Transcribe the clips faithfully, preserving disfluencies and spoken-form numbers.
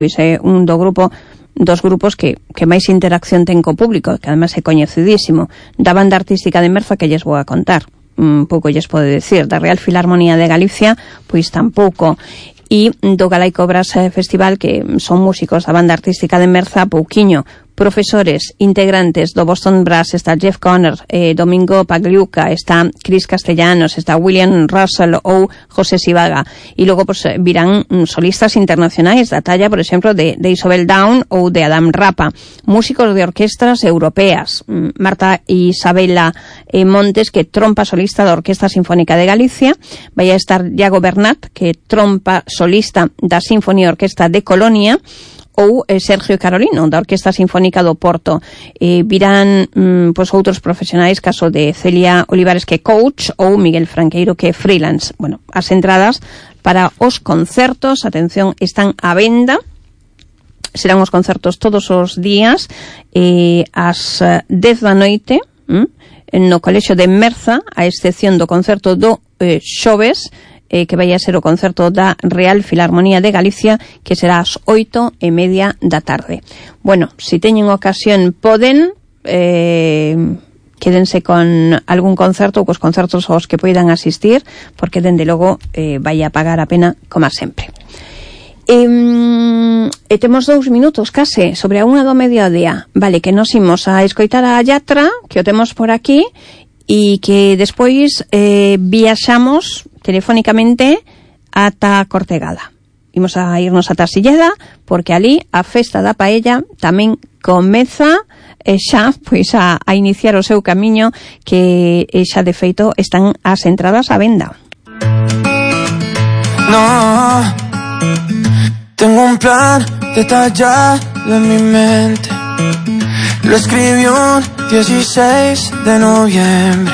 é un do grupo dos grupos que, que máis interacción ten co público, que además é coñecidísimo. Da banda artística de Merza, que lles vou a contar, un pouco lles pode decir. Da Real Filarmonía de Galicia, pois tampouco. E do Galaico Brass Festival, que son músicos da banda artística de Merza, pouquiño. Profesores integrantes do Boston Brass, está Jeff Conner, eh, Domingo Pagliuca, está Chris Castellanos, está William Russell ou José Sivaga. E logo pues, virán mm, solistas internacionais da talla, por exemplo, de, de Isobel Down ou de Adam Rapa. Músicos de orquestras europeas. Mm, Marta Isabela eh, Montes, que trompa solista da Orquesta Sinfónica de Galicia. Vai a estar Iago Bernat, que trompa solista da Sinfonía Orquesta de Colonia, ou eh, Sergio Carolino, da Orquesta Sinfónica do Porto. Eh, virán mm, pois outros profesionais, caso de Celia Olivares, que é coach, ou Miguel Franqueiro, que é freelance. Bueno, as entradas para os concertos, atención, están á venda. Serán os concertos todos os días, eh, ás dez da noite, mm, no Colexio de Merza, a excepción do concerto do eh, xoves, Eh, que vai a ser o concerto da Real Filarmonía de Galicia, que será ás oito e media da tarde. Bueno, se si teñen ocasión, poden eh, quédense con algún concerto ou cos concertos aos que poidan asistir, porque dende logo eh, vai a pagar a pena como sempre. E, e temos dous minutos case sobre a unha do mediodía. Vale, que nos imos a escoitar a Yatra, que o temos por aquí, e que despois eh, viaxamos telefónicamente ata Cortegada. Imos a irnos ata Silleda, porque ali a festa da paella tamén comeza eh, xa pois a, a iniciar o seu camiño, que eh, xa de feito están as entradas á venda. No, tengo un plan detallado en mi mente. Lo escribí un dieciséis de noviembre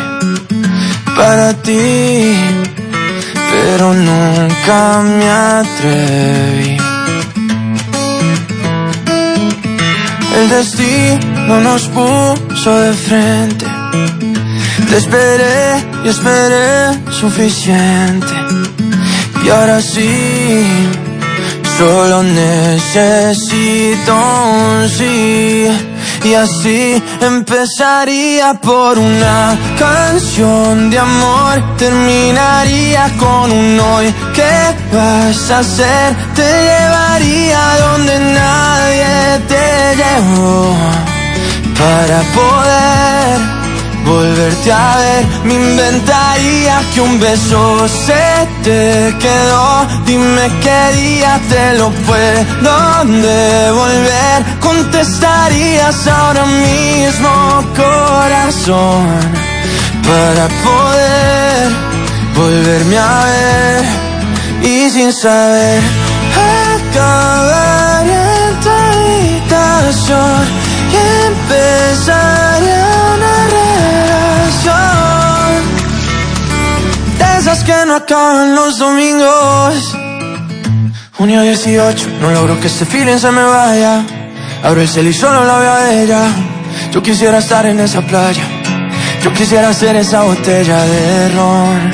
para ti, pero nunca me atreví. El destino nos puso de frente. Te esperé y esperé suficiente. Y ahora sí, solo necesito un sí. Y así empezaría por una canción de amor, terminaría con un hoy. ¿Qué vas a hacer? Te llevaría donde nadie te llevó, para poder volverte a ver. Me inventaría que un beso se te quedó. Dime qué día te lo puedo devolver. Contestarías ahora mismo, corazón, para poder volverme a ver. Y sin saber, acabar en tu habitación y empezar una relación de esas que no acaban los domingos. Junio dieciocho, no logro que este feeling se me vaya. Abro el cel y solo la veo a ella. Yo quisiera estar en esa playa, yo quisiera ser esa botella de ron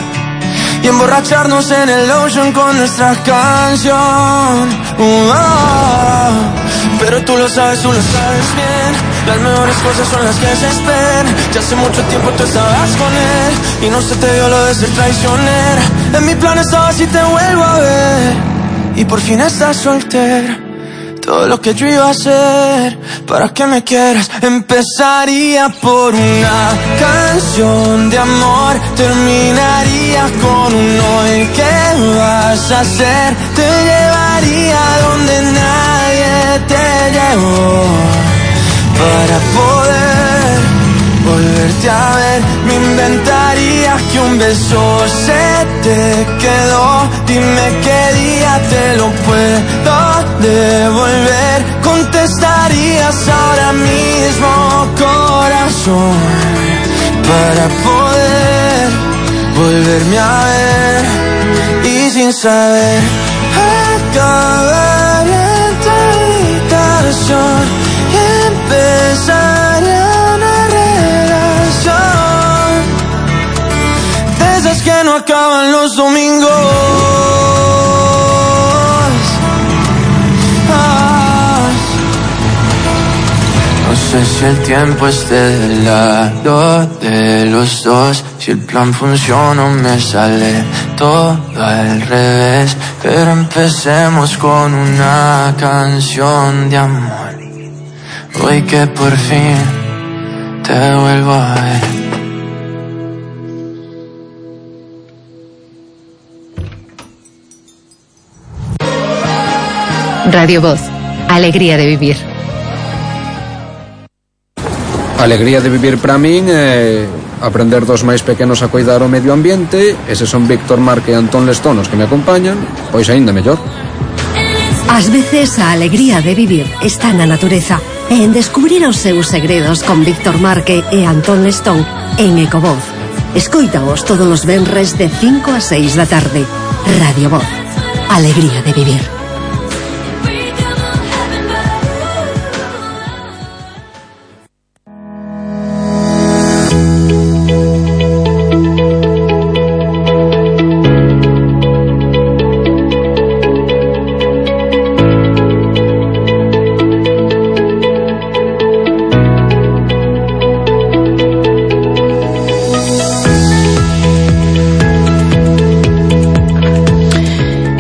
y emborracharnos en el ocean con nuestra canción. Uh, oh, pero tú lo sabes, tú lo sabes bien. Las mejores cosas son las que se esperan. Ya hace mucho tiempo tú estabas con él y no se te dio lo de ser traicionera. En mi plan estaba si te vuelvo a ver y por fin estás soltera. Todo lo que yo iba a hacer para que me quieras. Empezaría por una canción de amor, terminaría con un hoy. ¿Qué vas a hacer? Te llevaría donde nadie te llevó, para poder volverte a ver. Me inventaría que un beso se te quedó. Dime qué día te lo puedo devolver. Contestarías ahora mismo, corazón, para poder volverme a ver. Y sin saber, acabar en tu habitación y empezar una relación de esas que no acaban los domingos. Ah. sé si el tiempo esté del lado de los dos, si el plan funciona o me sale todo al revés. Pero empecemos con una canción de amor, hoy que por fin te vuelvo a ver. Radio Voz, alegría de vivir. Alegría de vivir para min é aprender dos máis pequenos a cuidar o medio ambiente. Eses son Víctor Marque e Antón Lestón os que me acompañan, pois aínda mellor. Ás veces a alegría de vivir está na natureza e en descubrir os seus segredos con Víctor Marque e Antón Lestón en Ecovoz. Escoítaos todos os venres de cinco a seis da tarde. Radio Voz, alegría de vivir.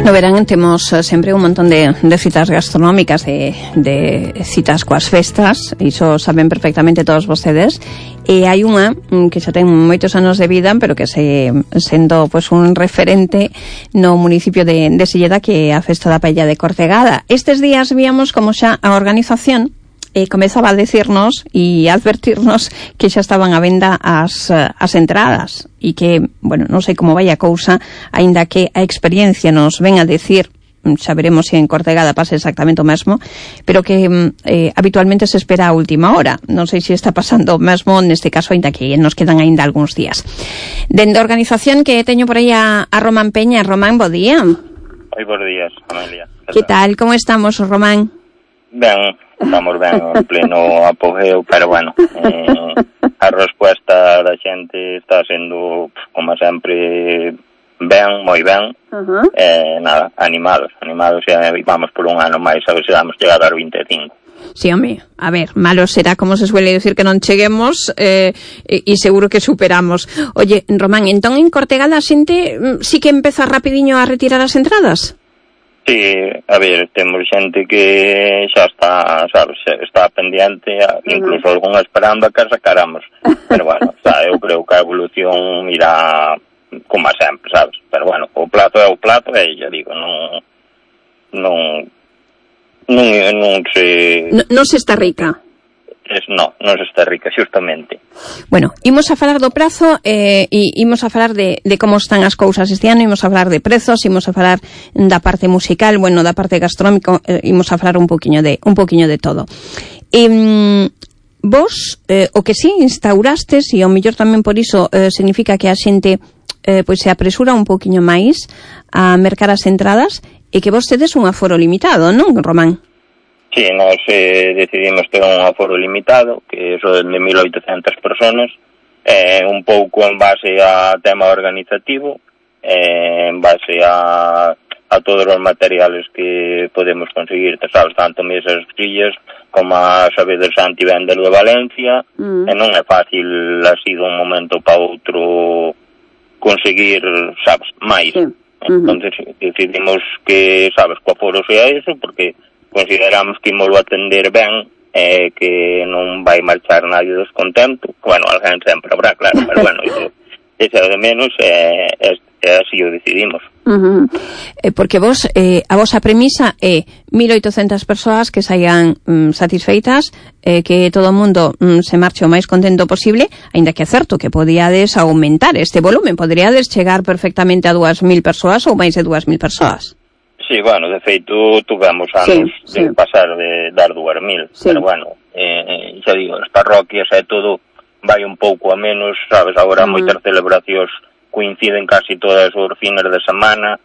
No verán, temos sempre un montón de, de citas gastronómicas, de, de citas coas festas, iso saben perfectamente todos vostedes, e hai unha que xa ten moitos anos de vida, pero que se sendo pues, un referente no municipio de, de Silleda, que é a Festa da Paella de Cortegada. Estes días víamos como xa a organización e comezaba a decirnos e a advertirnos que xa estaban a venda as, as entradas e que, bueno, non sei como vai a cousa, aínda que a experiencia nos ven a decir, xa veremos se en Cortegada pasa exactamente o mesmo, pero que eh, habitualmente se espera a última hora. Non sei se está pasando o mesmo neste caso, aínda que nos quedan aínda algúns días. Dende a organización que teño por aí a, a Román Peña. Román, bo día. Oi, bons días, Amelia. Que tal? Como estamos, Román? Ben, estamos ben en pleno apogeo, pero bueno, eh, a resposta da xente está sendo, como sempre, ben, moi ben. Uh-huh. Eh, nada, animados, animados, e vamos por un ano máis, a ver se damos chegado aos vinte e cinco. Sí, home, a ver, malo será, como se suele decir, que non cheguemos, eh, e, e seguro que superamos. Oye, Román, entón en Cortegada a xente sí que empeza rapidiño a retirar as entradas? Sí, a ver, temos xente que xa está, sabes, está pendiente, incluso uh-huh. algunha esperando a que sacáramos. Pero bueno, xa, eu creo que a evolución irá como a sempre, sabes? Pero bueno, o plato é o plato, e xa digo, non non non, non se... Non, non se está rica. Es, no, non se está rica, xustamente. Bueno, imos a falar do prazo eh, e imos a falar de, de como están as cousas este ano, imos a falar de prezos, imos a falar da parte musical, bueno, da parte gastronómica, eh, imos a falar un poquinho de un poquinho de todo. E, vos, eh, o que si instaurastes, e ao mellor tamén por iso eh, significa que a xente eh, pois se apresura un poquinho máis a mercar as entradas, e que vos tedes un aforo limitado, non, Román? Sí, nós eh, decidimos ter un aforo limitado, que son de mil oitocentas personas, eh, un pouco en base a tema organizativo, eh, en base a, a todos os materiales que podemos conseguir, te sabes, tanto mesas, sillas, como a sabedes Santi vender de Valencia, mm. e non é fácil así de un momento para outro conseguir, sabes, máis. Sí. Entonces mm-hmm. decidimos que, sabes, co aforo sea eso, porque consideramos que imos atender ben, eh, que non vai marchar nadie descontento. Bueno, alguén sempre habrá, claro, pero bueno, iso, iso de menos, eh, é, é así o decidimos. Uh-huh. Eh, porque vos, eh, a vosa premisa é mil oitocentas persoas que saian mm, satisfeitas, eh, que todo o mundo mm, se marche o máis contento posible, aínda que é certo que podíades aumentar este volumen, poderíades chegar perfectamente a dúas mil persoas ou máis de dúas mil persoas. Sí, bueno, de feito, tuvemos anos sí, de sí. pasar de dar dúas mil, sí. pero bueno, eh, xa digo, as parroquias e todo vai un pouco a menos, sabes, agora uh-huh. moitas celebracións coinciden casi todas os fines de semana,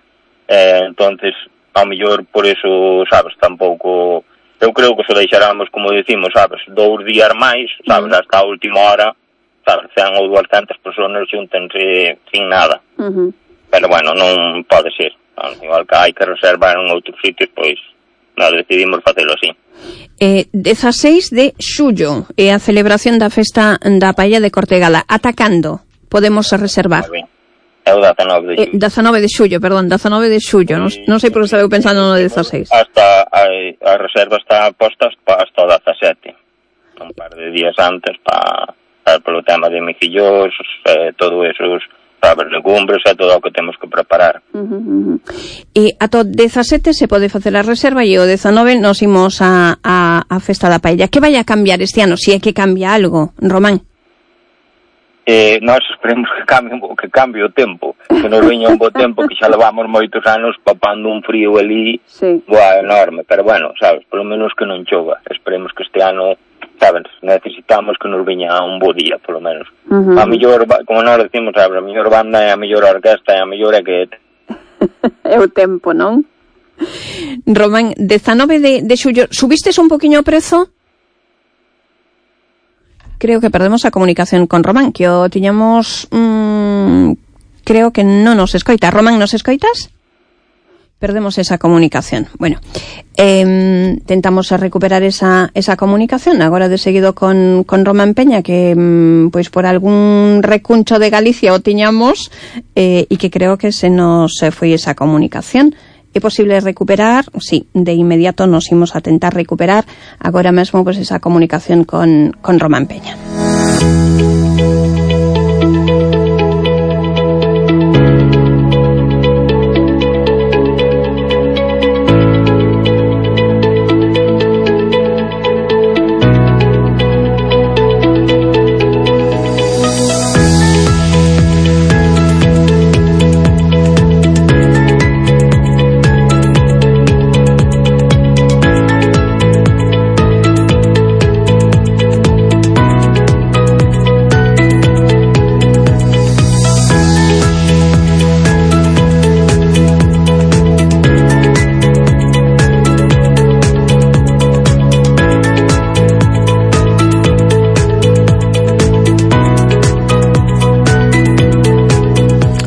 eh, entonces, ao mellor, por eso, sabes, tampouco, eu creo que se deixáramos, como decimos, sabes, dous días máis, sabes, uh-huh. hasta a última hora, sabes, cen ou duascentas personas xúntense sin nada, uh-huh. pero bueno, non pode ser. Igual que hai que reservar en outros sitios, pois nós decidimos facelo así. Eh, dezaseis de xullo é a celebración da festa da paella de Cortegada. Ata cando podemos reservar? É o dezanove de xullo. Eh, dezanove de xullo, perdón, dezanove de xullo. Non, non sei por que estaba pensando no dezaseis. Hasta a, a reserva está posta hasta o dezasete. Un par de días antes para pa, polo tema de micillos, eh, todo esos, sabes, legumbres e todo o que temos que preparar. Uh-huh, uh-huh. E ata o dezasete se pode facer a reserva e o dezanove nos imos a, a, a festa da paella. Que vai a cambiar este ano? Si é que cambia algo, Román? Eh, nós esperemos que cambie, que cambie o tempo, que nos veña un bo tempo, que xa levamos moitos anos papando un frío ali, sí. Boa, enorme, pero bueno, sabes, polo menos que non chova. Esperemos que este ano, sabes, necesitamos que nos veña un bo día, polo menos. Uh-huh. A mellor, como nós decimos, sabes, a mellor banda é a mellor orquesta e a mellor é que... É o tempo, non? Román, dezanove de, de xullo, subistes un poquinho o prezo? Creo que perdemos a comunicación con Román, que o tiñamos... Mmm, creo que non nos escoita. Román, nos escoitas? Perdemos esa comunicación. Bueno, eh, tentamos recuperar esa, esa comunicación agora de seguido con, con Román Peña, que mm, pois por algún recuncho de Galicia o tiñamos eh, e que creo que se nos foi esa comunicación. É posible recuperar? Sí, de inmediato nos imos a tentar recuperar agora mesmo pois esa comunicación con, con Román Peña.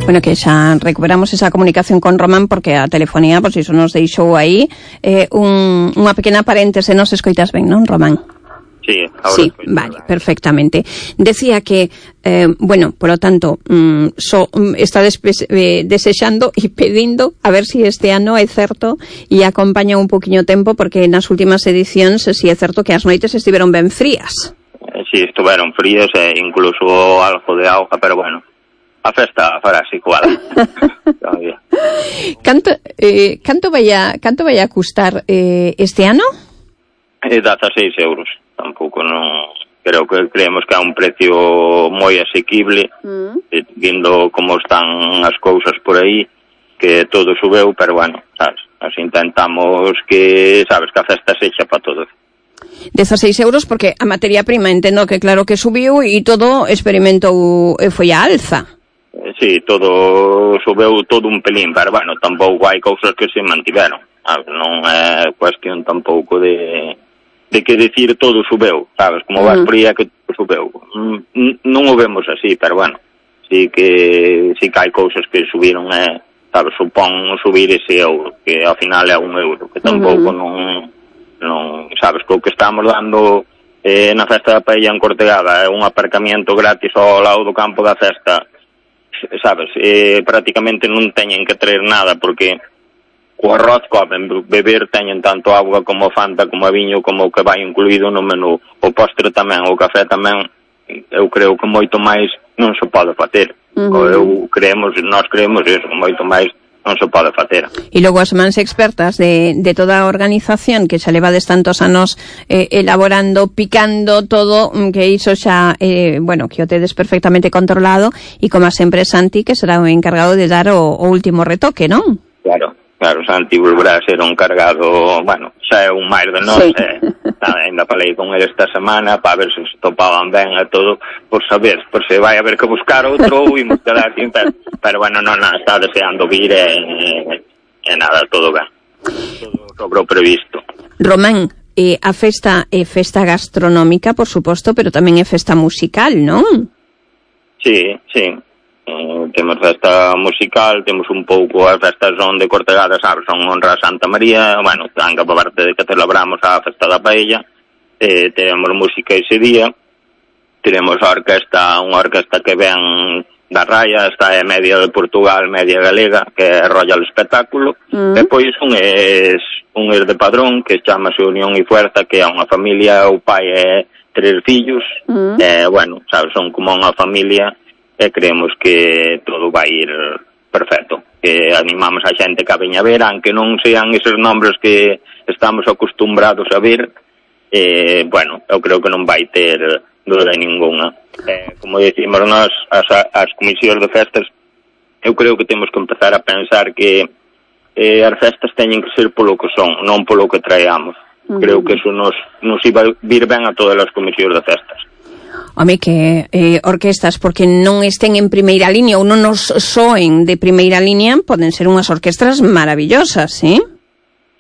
Bueno, que xa recuperamos esa comunicación con Román porque a telefonía, pois iso nos deixou aí eh, un, unha pequena paréntese. Nos escoitas ben, non, Román? Sí, ahora sí, vale, perfectamente. Decía que, eh, bueno, por lo tanto, mm, so, mm, está despe- eh, desexando e pedindo a ver si este ano é certo e acompaña un poquinho tempo, porque nas últimas edicións si é certo que as noites estiveron ben frías. Eh, sí, estuveron frías e incluso algo de auga, pero bueno, a festa fará así igual. canto, eh, canto vai a, canto vai a custar eh, este ano? Eh, dezaseis euros. Tampouco non... Creo que creemos que é un precio moi asequible, mm. eh, vindo como están as cousas por aí, que todo subeu, pero bueno, sabes, nos intentamos que, sabes, que a festa sexa para todos. dezaseis euros porque a materia prima entendo que claro que subiu e todo experimentou e foi a alza. Sí, todo subeu todo un pelín, pero bueno, tampouco hai cousas que se mantiveron. Non é cuestión tampouco de de que decir todo subeu, sabes, como vas por aí que todo subeu. Non o vemos así, pero bueno, sí que sí que hai cousas que subiron, eh, sabes, supón subir ese euro, que ao final é un euro, que tampouco non, non, sabes, co que estamos dando eh, na festa da paella en Cortegada é un aparcamiento gratis ao lado do campo da festa, sabes, eh, prácticamente non teñen que traer nada, porque co arroz comen, beber teñen tanto auga como fanta, como viño, como o que vai incluído no menú, o postre tamén, o café tamén, eu creo que moito máis non se pode facer. Uh-huh. Eu creemos, nós creemos eso, moito máis non se pode facer. E logo as mans expertas de, de toda a organización que xa levades tantos anos eh, elaborando, picando todo, que iso xa, eh, bueno, que o tedes perfectamente controlado, e como sempre Santi, que será o encargado de dar o, o último retoque, non? Claro, claro, Santi volverá a ser un cargado, bueno, xa é un máis de nós, sí. eh, ainda falei con ele esta semana para ver se se topaban ben a todo, por saber, por se vai haber que buscar outro ou imos quedar sin, pero, pero bueno, non, non, está deseando vir e, e, e nada, todo ben, todo sobre o previsto. Román, eh, a festa é festa gastronómica, por suposto, pero tamén é festa musical, non? Sí, sí, eh, temos festa musical, temos un pouco, as festas son de Cortegada, sabes, son honra a Santa María, bueno, tanto por parte de que celebramos a festa da paella, eh, teremos música ese día, teremos a orquesta, unha orquesta que ven da Raya, está é media de Portugal, media galega, que é Royal Espectáculo, mm. e pois un es, un es de Padrón, que chamase Unión e Fuerza, que é unha familia, o pai é tres fillos, mm. e, bueno, sabes, son como unha familia, e creemos que todo vai ir perfecto, que animamos a xente que a veña ver, aunque non sean esos nombres que estamos acostumbrados a ver, eh, bueno, eu creo que non vai ter duda ninguna. Eh, como decimos nós, as, as comisións de festas, eu creo que temos que empezar a pensar que eh, as festas teñen que ser polo que son, non polo que traemos. Uh-huh. Creo que eso nos, nos iba a vir ben a todas as comisións de festas. Home, que eh, orquestas, porque non estén en primeira línea ou non nos soen de primeira línea, poden ser unhas orquestras maravillosas, ¿sí?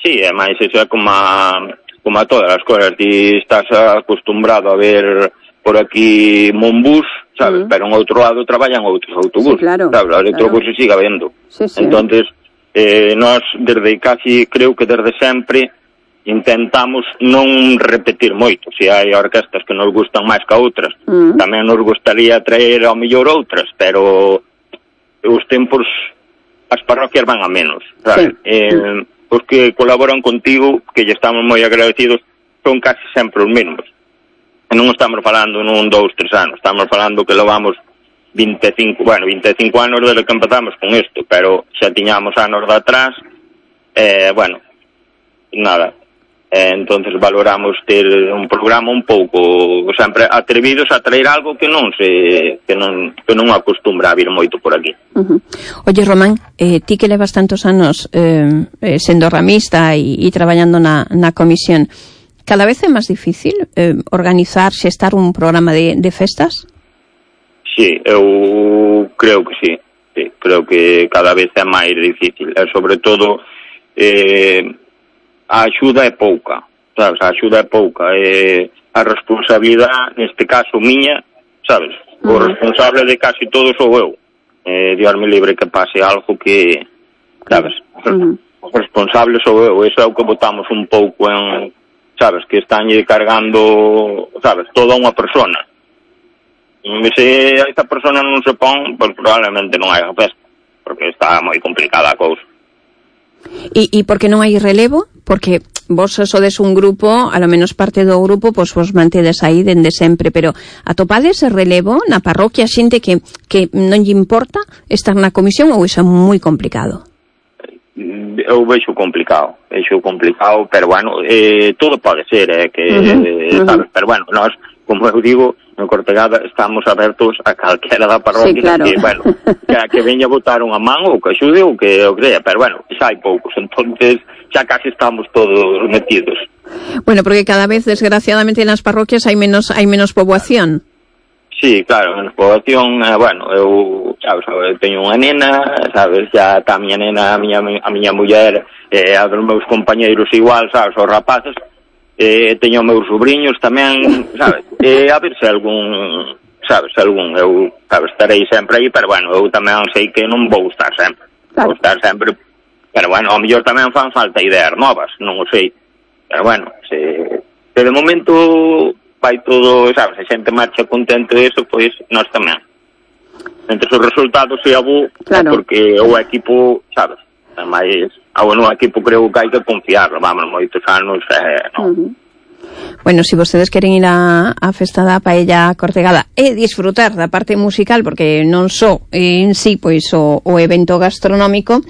Sí, ademais, eso é como a, como a todas as cousas. Ti estás acostumbrado a ver por aquí Monbús, sabes, mm. pero en outro lado traballan outros autobuses, sí, claro, sabes, a Electrobús claro. Siga vendo. Sí, sí. Entonces, eh, nós desde casi, creo que desde sempre, intentamos non repetir moito. Se hai orquestas que nos gustan máis que outras, mm. tamén nos gustaría traer ao mellor outras, pero os tempos, as parroquias van a menos, sabes? Sí. Eh, mm. Os que colaboran contigo, que lle estamos moi agradecidos, son casi sempre os mesmos. E non estamos falando nun, dous, tres anos, estamos falando que levamos veinticinco, bueno, veinticinco anos desde que empezamos con isto, pero xa tiñamos anos de atrás, eh, bueno, nada, eh, entonces valoramos ter un programa un pouco, sempre atrevidos a traer algo que non se, que non, que non acostumbra a vir moito por aquí. Uh-huh. Oye, Román, eh, ti que levas tantos anos eh, eh, sendo ramista e, e traballando na, na comisión, cada vez é máis difícil eh, organizar, xestar un programa de, de festas? Sí, eu creo que sí. sí. Creo que cada vez é máis difícil. E, sobre todo, eh, a axuda é pouca. Sabes? A axuda é pouca. Eh, a responsabilidade, neste caso, miña, sabes? O uh-huh. responsable de casi todo sou eu. Eh, Dios me libre que pase algo que, sabes? Uh-huh. O responsable sou eu. Eso é o que botamos un pouco en... sabes, que están cargando, sabes, toda unha persona. E se esta persona non se pon, pues probablemente non hai a festa, porque está moi complicada a cousa. E, e por que non hai relevo? Porque vos sodes un grupo, a lo menos parte do grupo, pois vos mantedes aí dende sempre, pero atopades ese relevo na parroquia, xente que, que non lle importa estar na comisión, ou iso é moi complicado? Eu vexo complicado, vexo complicado, pero bueno, eh, todo pode ser, eh, que, uh-huh, eh, sabes, uh-huh. pero bueno, nós, como eu digo, en Cortegada estamos abertos a calquera da parroquia, sí, claro. que, bueno, que, que veña botar unha man ou que axude ou que o crea, pero bueno, xa hai poucos, entonces xa casi estamos todos metidos. Bueno, porque cada vez, desgraciadamente, nas parroquias hai menos hai menos poboación. Sí, claro, en poboación, eh, bueno, eu, sabes, eu teño unha nena, sabes, xa está a miña nena, a miña, a miña muller, eh, a dos meus compañeiros igual, sabes, os rapaces, eh, teño meus sobrinhos tamén, sabes, eh, a ver se algún, sabes, algún, eu, sabes, estarei sempre aí, pero bueno, eu tamén sei que non vou estar sempre, claro. vou estar sempre, pero bueno, ao mellor tamén fan falta ideas novas, non o sei, pero bueno, se, se de momento... vai todo, sabes, a xente marcha contento de eso, pois nós tamén. Entre os resultados se abo, claro. porque o equipo, sabes, máis, ao no equipo creo que hai que confiarlo, vamos, moitos anos, eh, non. Uh-huh. Bueno, se si vostedes queren ir a, a festa da paella Cortegada e disfrutar da parte musical, porque non só en sí, pois, o, o evento gastronómico,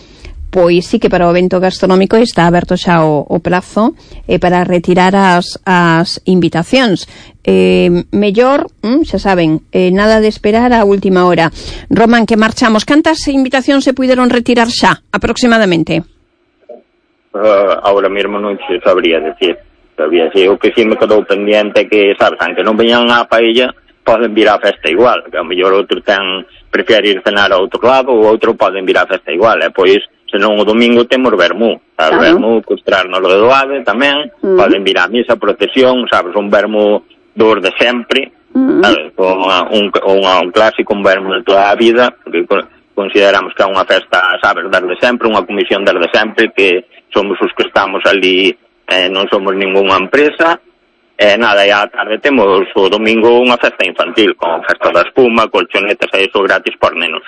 pois sí que para o evento gastronómico está aberto xa o, o prazo eh, para retirar as, as invitacións. Eh, mellor, mm, xa saben, eh, nada de esperar a última hora. Román, que marchamos. Cantas invitacións se puideron retirar xa, aproximadamente? Uh, ahora mesmo non se sabría decir. Sabría decir. O que sí me quedou pendiente que, sabes, aunque non veñan a paella, poden vir á festa igual. Que a mellor outro ten, prefere ir cenar a outro lado, ou outro poden vir á festa igual. E pois, senón o domingo temos vermú, sabes, claro. vermú, costrarnos lo de doade tamén, mm. poden vir á misa, procesión, sabes, un vermú dos de sempre, mm. sabes, un, un, un, un clásico, un vermú de toda a vida, porque consideramos que é unha festa, sabes, desde sempre, unha comisión desde sempre, que somos os que estamos ali, eh, non somos ningunha empresa. E eh, nada, e á tarde temos o domingo unha festa infantil, con festa da espuma, colchonetas e iso gratis por nenos.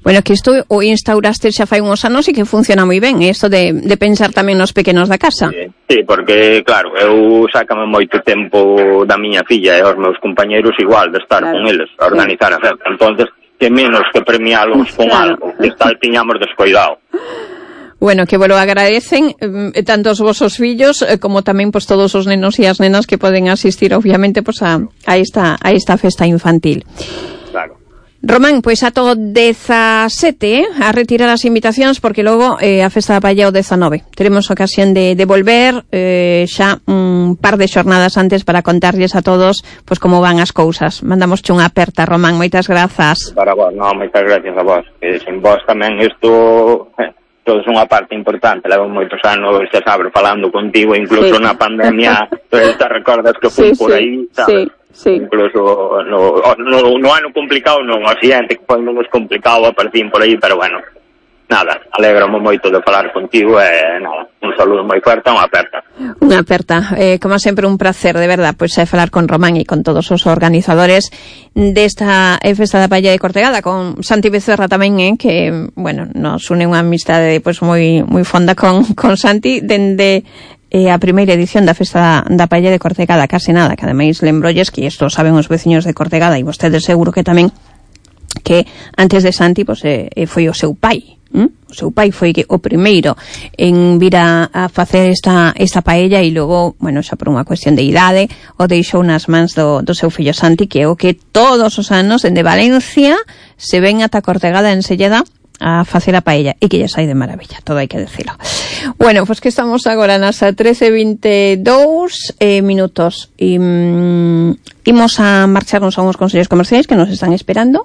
Bueno, que isto o instauraste xa fai uns anos e que funciona moi ben, isto de, de pensar tamén nos pequenos da casa. Sí, sí, porque, claro, eu sácame moito tempo da miña filla e os meus compañeros igual, de estar claro, con eles, a organizar sí. a festa. Entonces, que menos que premialos con claro. algo, que tal tiñamos descoidado. Bueno, que vos lo agradecen eh, tanto os vosos fillos eh, como tamén pues, todos os nenos e as nenas que poden asistir, obviamente, pues, a, a, esta, a esta festa infantil. Claro. Román, pois pues, ato dezasete, eh, a retirar as invitacións, porque logo eh, a festa da paella o dezanove. Teremos ocasión de, de volver eh, xa un par de xornadas antes para contarlles a todos pues, como van as cousas. Mandamos unha aperta, Román, moitas grazas. Para vos, no, moitas gracias a vos. Que sin vos tamén isto... Eh. Todo é unha parte importante, levo moitos anos, xa sabes, falando contigo, incluso sí. na pandemia, te recordas que fui sí, por aí, sabes? Sí, sí. Incluso no, no, no ano complicado non, o siguiente, que foi menos complicado, aparecín por aí, pero bueno, nada, alegramo moito de falar contigo e nada, un saludo moi fuerte, unha aperta. Unha aperta, eh, como sempre un placer, de verdad, pois pues, é falar con Román e con todos os organizadores desta festa da paella de Cortegada, con Santi Becerra tamén, eh, que, bueno, nos une unha amistade pois pues, moi moi fonda con, con Santi, dende eh, a primeira edición da festa da paella de Cortegada, case nada, que ademais lembrolles que isto saben os veciños de Cortegada e vostedes seguro que tamén, que antes de Santi pues, eh, foi o seu pai. ¿Mm? O seu pai foi o primeiro en vir a, a facer esta, esta paella e logo, bueno, xa por unha cuestión de idade o deixou nas mans do, do seu fillo Santi, que é o que todos os anos dende Valencia se ven ata Cortegada en Selleda a facer a paella e que lle sai de maravilla, todo hai que decirlo. Bueno, pois pues que estamos agora nas trece vinte e dous eh, minutos e mm, imos a marcharnos a uns consellos comerciais que nos están esperando.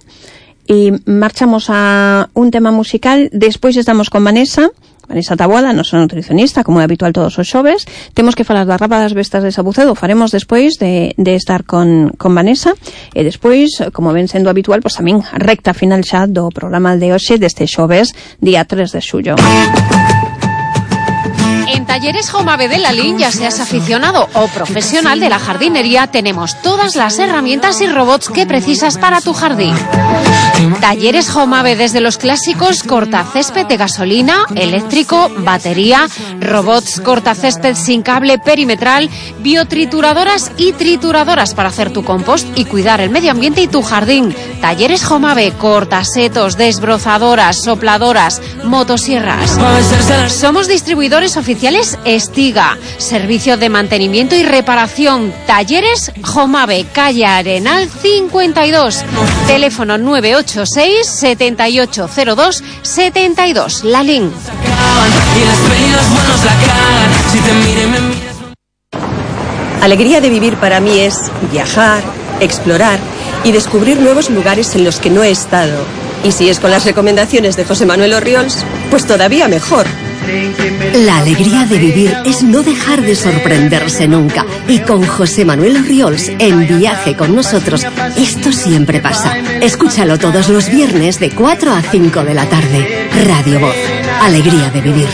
E marchamos a un tema musical, despois estamos con Vanessa, Vanessa Taboada, nosa nutricionista, como é habitual todos os xoves. Temos que falar da rapa das bestas de Sabucedo, faremos despois de, de estar con, con Vanessa, e despois, como ven sendo habitual, pues tamén recta final xa do programa de hoxe deste xoves, día tres de xullo. En Talleres Jomave de Lalín, ya seas aficionado o profesional de la jardinería, tenemos todas las herramientas y robots que precisas para tu jardín. Talleres Jomave, desde los clásicos cortacésped de gasolina, eléctrico, batería, robots cortacésped sin cable perimetral, biotrituradoras y trituradoras para hacer tu compost y cuidar el medio ambiente y tu jardín. Talleres Jomave, cortasetos, desbrozadoras, sopladoras, motosierras. Somos distribuidores oficiales Estiga, servicio de mantenimiento y reparación. Talleres Jomave, calle Arenal cincuenta y dos, teléfono nueve ocho seis, siete ocho cero dos, siete dos, Lalín. Alegría de vivir para mí es viajar, explorar y descubrir nuevos lugares en los que no he estado. Y si es con las recomendaciones de José Manuel Orriols, pues todavía mejor. La alegría de vivir es no dejar de sorprenderse nunca. Y con José Manuel Orriols en Viaje con Nosotros, esto siempre pasa. Escúchalo todos los viernes de cuatro a cinco de la tarde. Radio Voz. Alegría de vivir.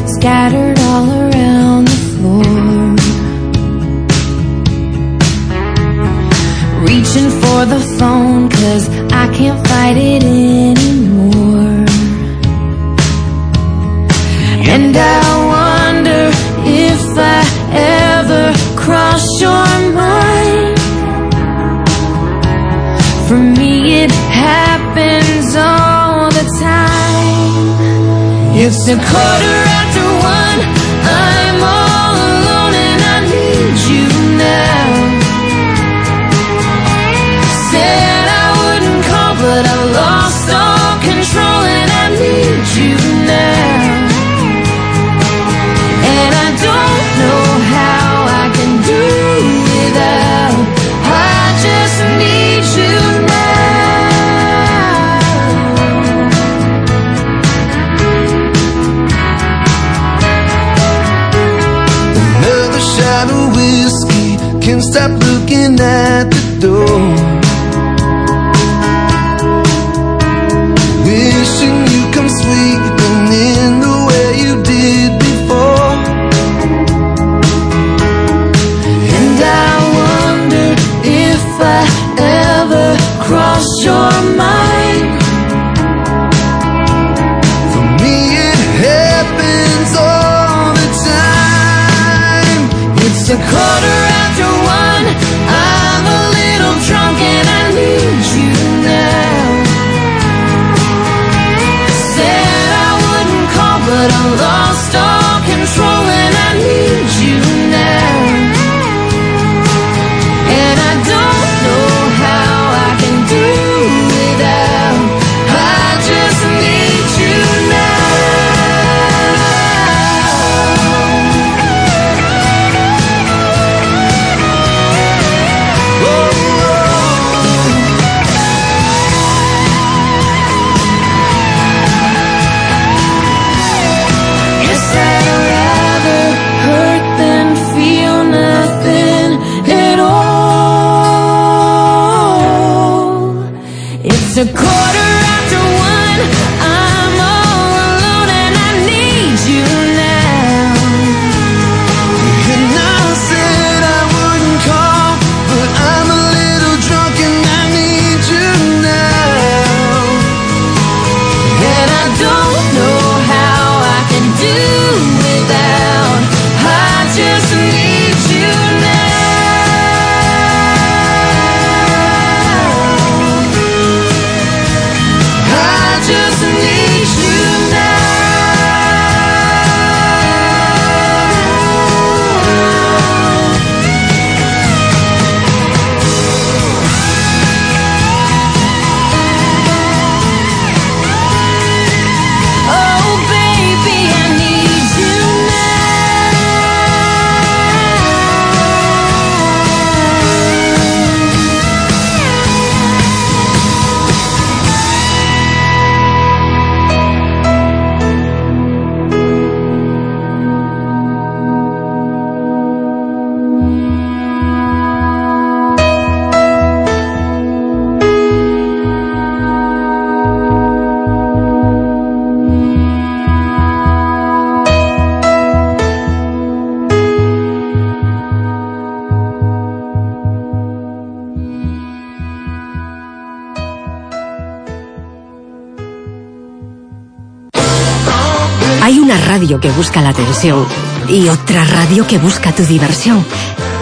Scattered all around the floor, reaching for the phone 'cause I can't fight it anymore. And I wonder if I ever cross your mind. For me it happens all It's a quarter after one. I'm all alone and I need you now. Said I wouldn't call, but I lost all control and I need you now. And I don't know how I can do without. I just need you now. Another shot of whiskey, can't stop looking at the door. Wishing you come sweeping in the way you did before. And I wonder if I ever cross your mind. For me it happens all the time. It's a quarter after one. I'm a little drunk and I need you now. Said I wouldn't call, but I lost all control and I need you now. And I don't know how I can do without. I just need you now. Guess I'd rather hurt than feel nothing at all. It's a quarter after one. I'm all alone and I need you now. And I said I wouldn't call, but I'm a little drunk and I need you now. And I don't know how I can do without. I just need you now. I just need you now. Oh baby, I need you Hay una radio que busca la atención y otra radio que busca tu diversión.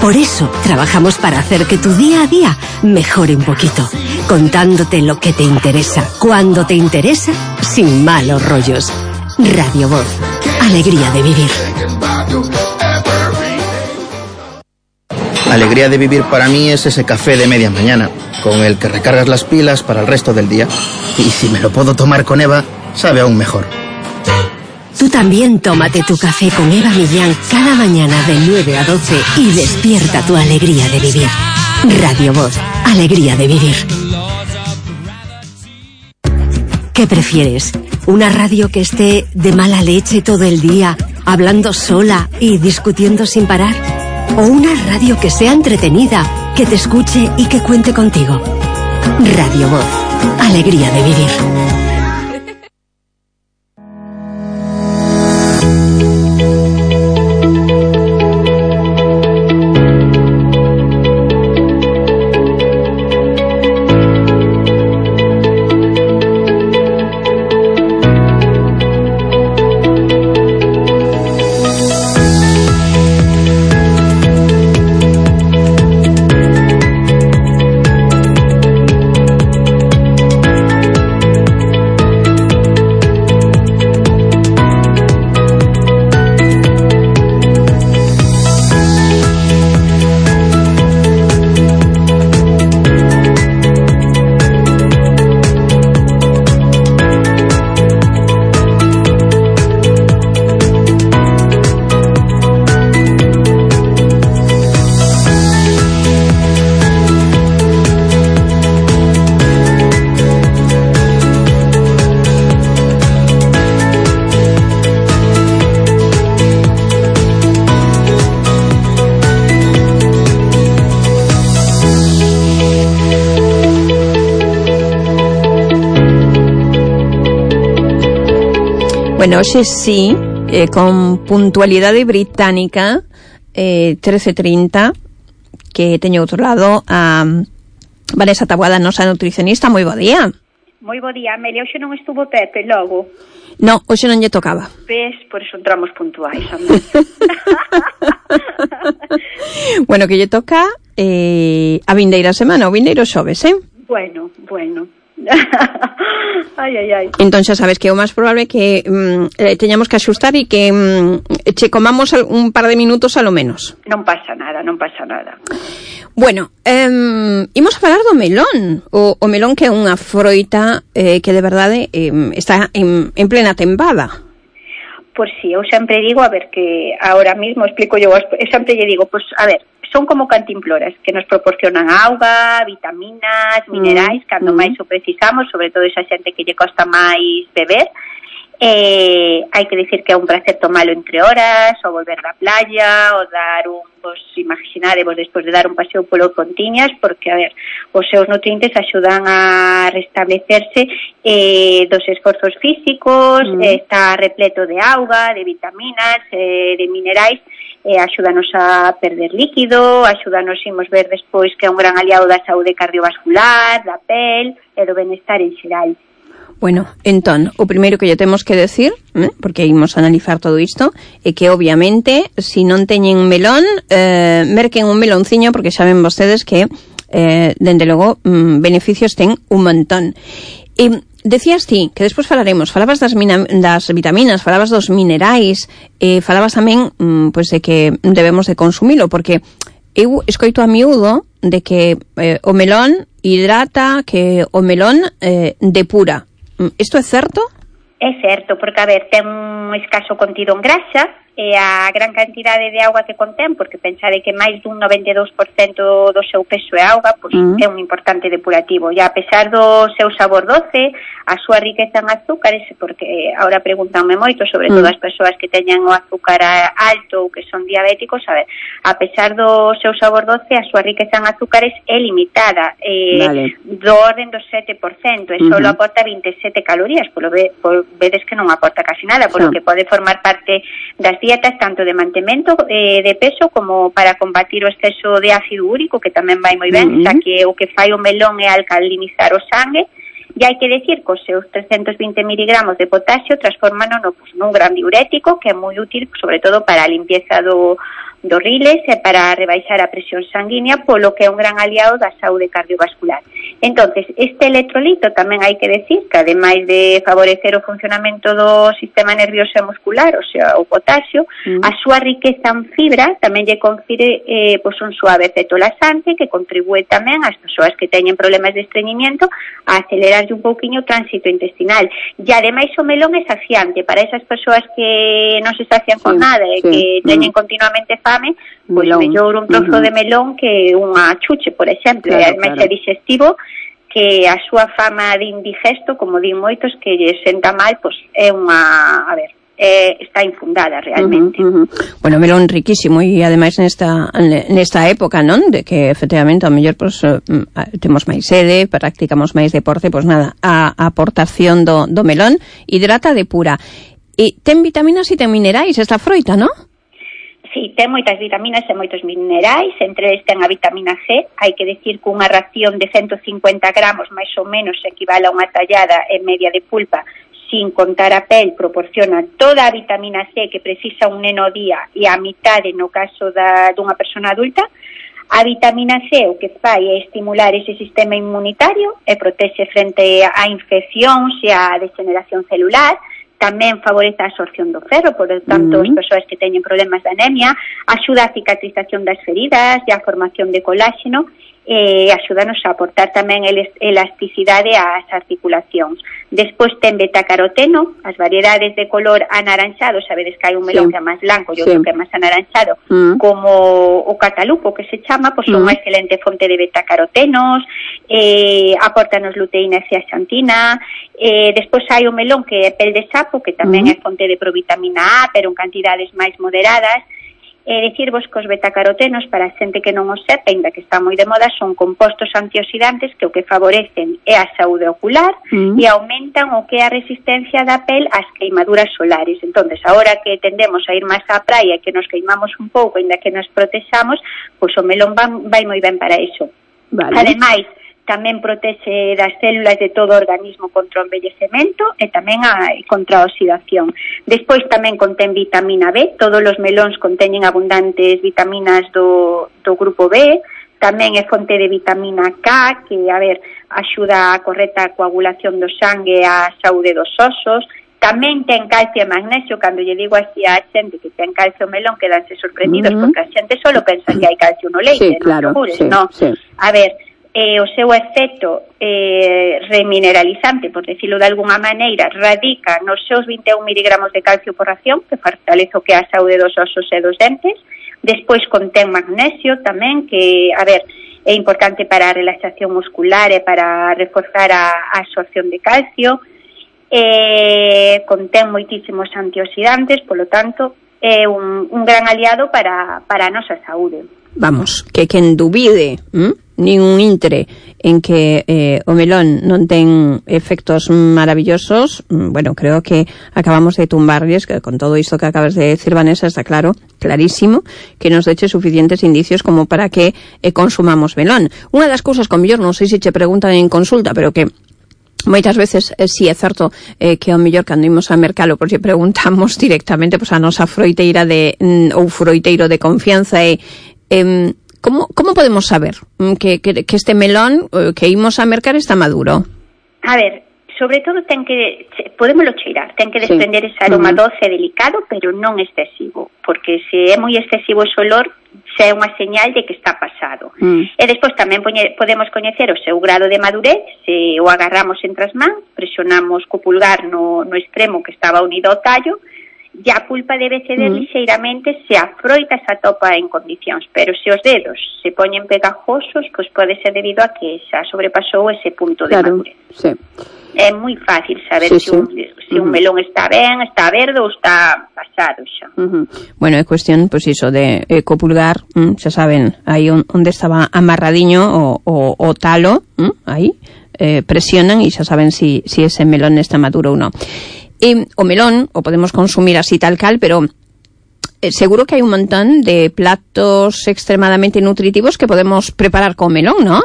Por eso trabajamos para hacer que tu día a día mejore un poquito, contándote lo que te interesa, cuando te interesa, sin malos rollos. Radio Voz, alegría de vivir. Alegría de vivir para mí es ese café de media mañana, con el que recargas las pilas para el resto del día. Y si me lo puedo tomar con Eva, sabe aún mejor. Tú también tómate tu café con Eva Millán cada mañana de nueve a doce y despierta tu alegría de vivir. Radio Voz, alegría de vivir. ¿Qué prefieres? ¿Una radio que esté de mala leche todo el día, hablando sola y discutiendo sin parar? ¿O una radio que sea entretenida, que te escuche y que cuente contigo? Radio Voz, alegría de vivir. Bueno, hoxe sí, eh, con puntualidade británica, eh, trece trinta, que teño outro lado a Vanessa Taboada, nosa nutricionista. Moi bo día. Moi bo día, Amelia. Hoxe non estuvo Pepe logo. No, hoxe non lle tocaba. Ves, por eso entramos puntuais. Bueno, que lle toca eh, a vindeira semana, o vindeiro xoves, eh? Bueno, bueno. Ai, ai, ai. Entón xa sabes que o máis probable é que mm, eh, teñamos que axustar e que mm, che comamos un par de minutos a lo menos. Non pasa nada, non pasa nada. Bueno, eh, imos a falar do melón. O, o melón que é unha froita eh, que de verdade eh, está en, en plena tempada. Pois si, sí, eu sempre digo, a ver, que ahora mismo explico yo, eu sempre lle digo, pois, pues, a ver, son como cantimploras que nos proporcionan auga, vitaminas, minerais, mm. cando mm. máis o precisamos, sobre todo esa xente que lle costa máis beber. Eh, hai que dicir que é un placer tomalo entre horas, ou volver da playa, ou dar un, vos imaginadevos despois de dar un paseo polo Contiñas, porque, a ver, os seus nutrientes axudan a restablecerse eh, dos esforzos físicos, mm. eh, está repleto de auga, de vitaminas, eh, de minerais, eh, axúdanos a perder líquido, axúdanos, imos ver despois, que é un gran aliado da saúde cardiovascular, da pel e do benestar en xeral. Bueno, entón, o primeiro que lle temos que decir, eh, porque imos a analizar todo isto, é que obviamente, se si non teñen melón, eh, merquen un melonciño, porque saben vostedes que, eh, dende logo, mm, beneficios ten un montón. E decías ti, que despois falaremos, falabas das, mina, das vitaminas, falabas dos minerais, eh, falabas tamén mm, pues de que debemos de consumilo, porque eu escoito a miúdo de que eh, o melón hidrata, que o melón eh, depura. Isto é certo? É certo, porque, a ver, ten un escaso contido en grasa e a gran cantidade de auga que contén, porque pensade que máis dun noventa e dous por cento do seu peso é auga, pois uh-huh. é un importante depurativo. E a pesar do seu sabor doce, a súa riqueza en azúcares, porque agora preguntanme moito, sobre todo uh-huh. as persoas que teñen o azúcar alto ou que son diabéticos, a ver, a pesar do seu sabor doce, a súa riqueza en azúcares é limitada, eh, vale. do orden do sete por cento, e uh-huh. só aporta vinte e sete calorías, polo ve, por, vedes que non aporta casi nada, polo sí. que pode formar parte das dietas tanto de mantemento eh, de peso como para combatir o exceso de ácido úrico, que tamén vai moi ben, uh-huh. xa que o que fai o melón é alcalinizar o sangue, e hai que decir que os seus trescentos vinte miligramos de potasio transforman no, pues, nun gran diurético que é moi útil, sobre todo para a limpieza do, do riles e para rebaixar a presión sanguínea, polo que é un gran aliado da saúde cardiovascular. Entonces, este electrolito tamén hai que decir que, ademais de favorecer o funcionamento do sistema nervioso e muscular, o sea, o potasio, mm. a súa riqueza en fibra tamén lle confire eh, pues un suave efecto laxante que contribúe tamén ás persoas que teñen problemas de estreñimiento a acelerarlle un pouquiño o tránsito intestinal. E ademais o melón é saciante para esas persoas que non se sacian con sí, nada e sí. que teñen mm. continuamente fame, pois pues mellor un trozo uh-huh. de melón que unha chuche, por exemplo, claro, e ademais claro. é digestivo, que a súa fama de indigesto, como din moitos, que lle senta mal, pois é unha, a ver, é, está infundada realmente. Uh-huh, uh-huh. Bueno, melón riquísimo e ademais nesta nesta época, non? De que efectivamente ao mellor pois uh, temos máis sede, practicamos máis deporte, pois nada, a, a aportación do, do melón hidrata de pura. E ten vitaminas e ten minerais esta froita, non? Sí, ten moitas vitaminas e moitos minerais, entre eles ten a vitamina C. Hai que decir que unha ración de ciento cincuenta gramos máis ou menos equivale a unha tallada en media de pulpa, sin contar a pel, proporciona toda a vitamina C que precisa un neno ao día e a mitade no caso da, dunha persona adulta. A vitamina C o que fai é estimular ese sistema inmunitario e protexe frente a infeccións e a degeneración celular. Tamén favorece a absorción do ferro, por lo tanto, uh-huh. as persoas que teñen problemas de anemia, axuda a cicatrización das feridas e a formación de coláxeno, e axúdanos a aportar tamén elasticidade ás articulacións. Despois ten betacaroteno, as variedades de color anaranxado, sabedes que hai un melón sí. que é máis blanco e outro sí. que é máis anaranxado, uh-huh. como o catalupo que se chama, pois son uh-huh. unha excelente fonte de betacarotenos, eh, aportanos luteína e zeaxantina. Eh, despois hai o melón que é pel de sapo, que tamén uh-huh. é fonte de provitamina A, pero en cantidades máis moderadas. E dicirvos que os betacarotenos, para a xente que non os sepa, ainda que está moi de moda, son compostos antioxidantes que o que favorecen é a saúde ocular mm. e aumentan o que é a resistencia da pel ás queimaduras solares. Entonces, agora que tendemos a ir máis á praia, que nos queimamos un pouco, ainda que nos protexamos, pois o melón vai, vai moi ben para iso. Vale. Ademais, tamén protexe das células de todo o organismo contra o envellecemento e tamén a, contra a oxidación. Despois tamén contén vitamina B, todos os melóns conteñen abundantes vitaminas do, do grupo B, tamén é fonte de vitamina K, que, a ver, axuda a correcta coagulación do sangue e a saúde dos osos. Tamén ten calcio e magnesio, cando lle digo así a xente que ten calcio melón, quedanse sorprendidos, mm-hmm. porque a xente solo pensa que hai calcio no leite, sí, claro, no, sí, no. Sí. A ver, eh, o seu efecto eh, remineralizante, por decirlo de alguna maneira, radica nos seus vinte e un miligramos de calcio por ración, que fortalece o que é a saúde dos osos e dos dentes. Despois contén magnesio tamén, que, a ver, é importante para a relaxación muscular e para reforzar a, a absorción de calcio. Eh, contén moitísimos antioxidantes, polo tanto, é un, un gran aliado para, para a nosa saúde. Vamos, que quen dubide, ¿m? nin un intre en que eh, o melón non ten efectos maravillosos, bueno, creo que acabamos de tumbarles, que con todo isto que acabas de decir, Vanessa, está claro, clarísimo, que nos deche suficientes indicios como para que eh, consumamos melón. Unha das cousas, con mellor, non sei se che preguntan en consulta, pero que moitas veces eh, si é certo eh, que ao mellor cando imos a mercalo, pois lle preguntamos directamente pois, a nosa froiteira de, mm, ou froiteiro de confianza e eh, como, como podemos saber que, que, que este melón eh, que imos a mercar está maduro? A ver, sobre todo ten que, podémoslo cheirar, ten que desprender sí. ese aroma uh-huh. doce delicado, pero non excesivo, porque se é moi excesivo ese olor, xa é unha señal de que está pasado. Mm. E despois tamén poñe, podemos coñecer o seu grado de madurez, se o agarramos entre as mans, presionamos co pulgar no, no extremo que estaba unido ao tallo, e a pulpa debe ceder mm. lixeiramente se a froita se atopa en condicións, pero se os dedos se poñen pegajosos, pois pode ser debido a que xa sobrepasou ese punto de claro, madurez. Sí. É moi fácil saber sí, se, un, sí. se un melón está ben, está verde ou está pasado xa. Uh-huh. Bueno, é cuestión, pois pues iso, de eh, co pulgar, mm, xa saben, aí on, onde estaba amarradiño o, o, o talo, mm, aí, eh, presionan e xa saben si, si ese melón está maduro ou non. E o melón o podemos consumir así tal cal, pero eh, seguro que hai un montón de platos extremadamente nutritivos que podemos preparar con melón, ¿no?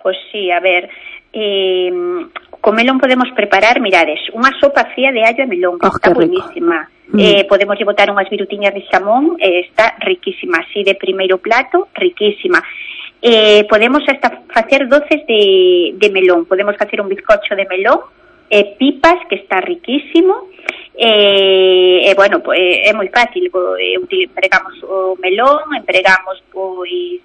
Pois pues sí, a ver, eh, con melón podemos preparar, mirades, unha sopa fría de allo e melón, que oh, está buenísima. Mm. Eh, podemos lle botar unhas virutiñas de xamón, eh, está riquísima, así de primeiro plato, riquísima. Eh, podemos hasta facer doces de, de melón, podemos facer un bizcocho de melón, eh, pipas, que está riquísimo, e eh, eh, bueno, pues, é moi fácil, eh, empregamos o melón, empregamos pois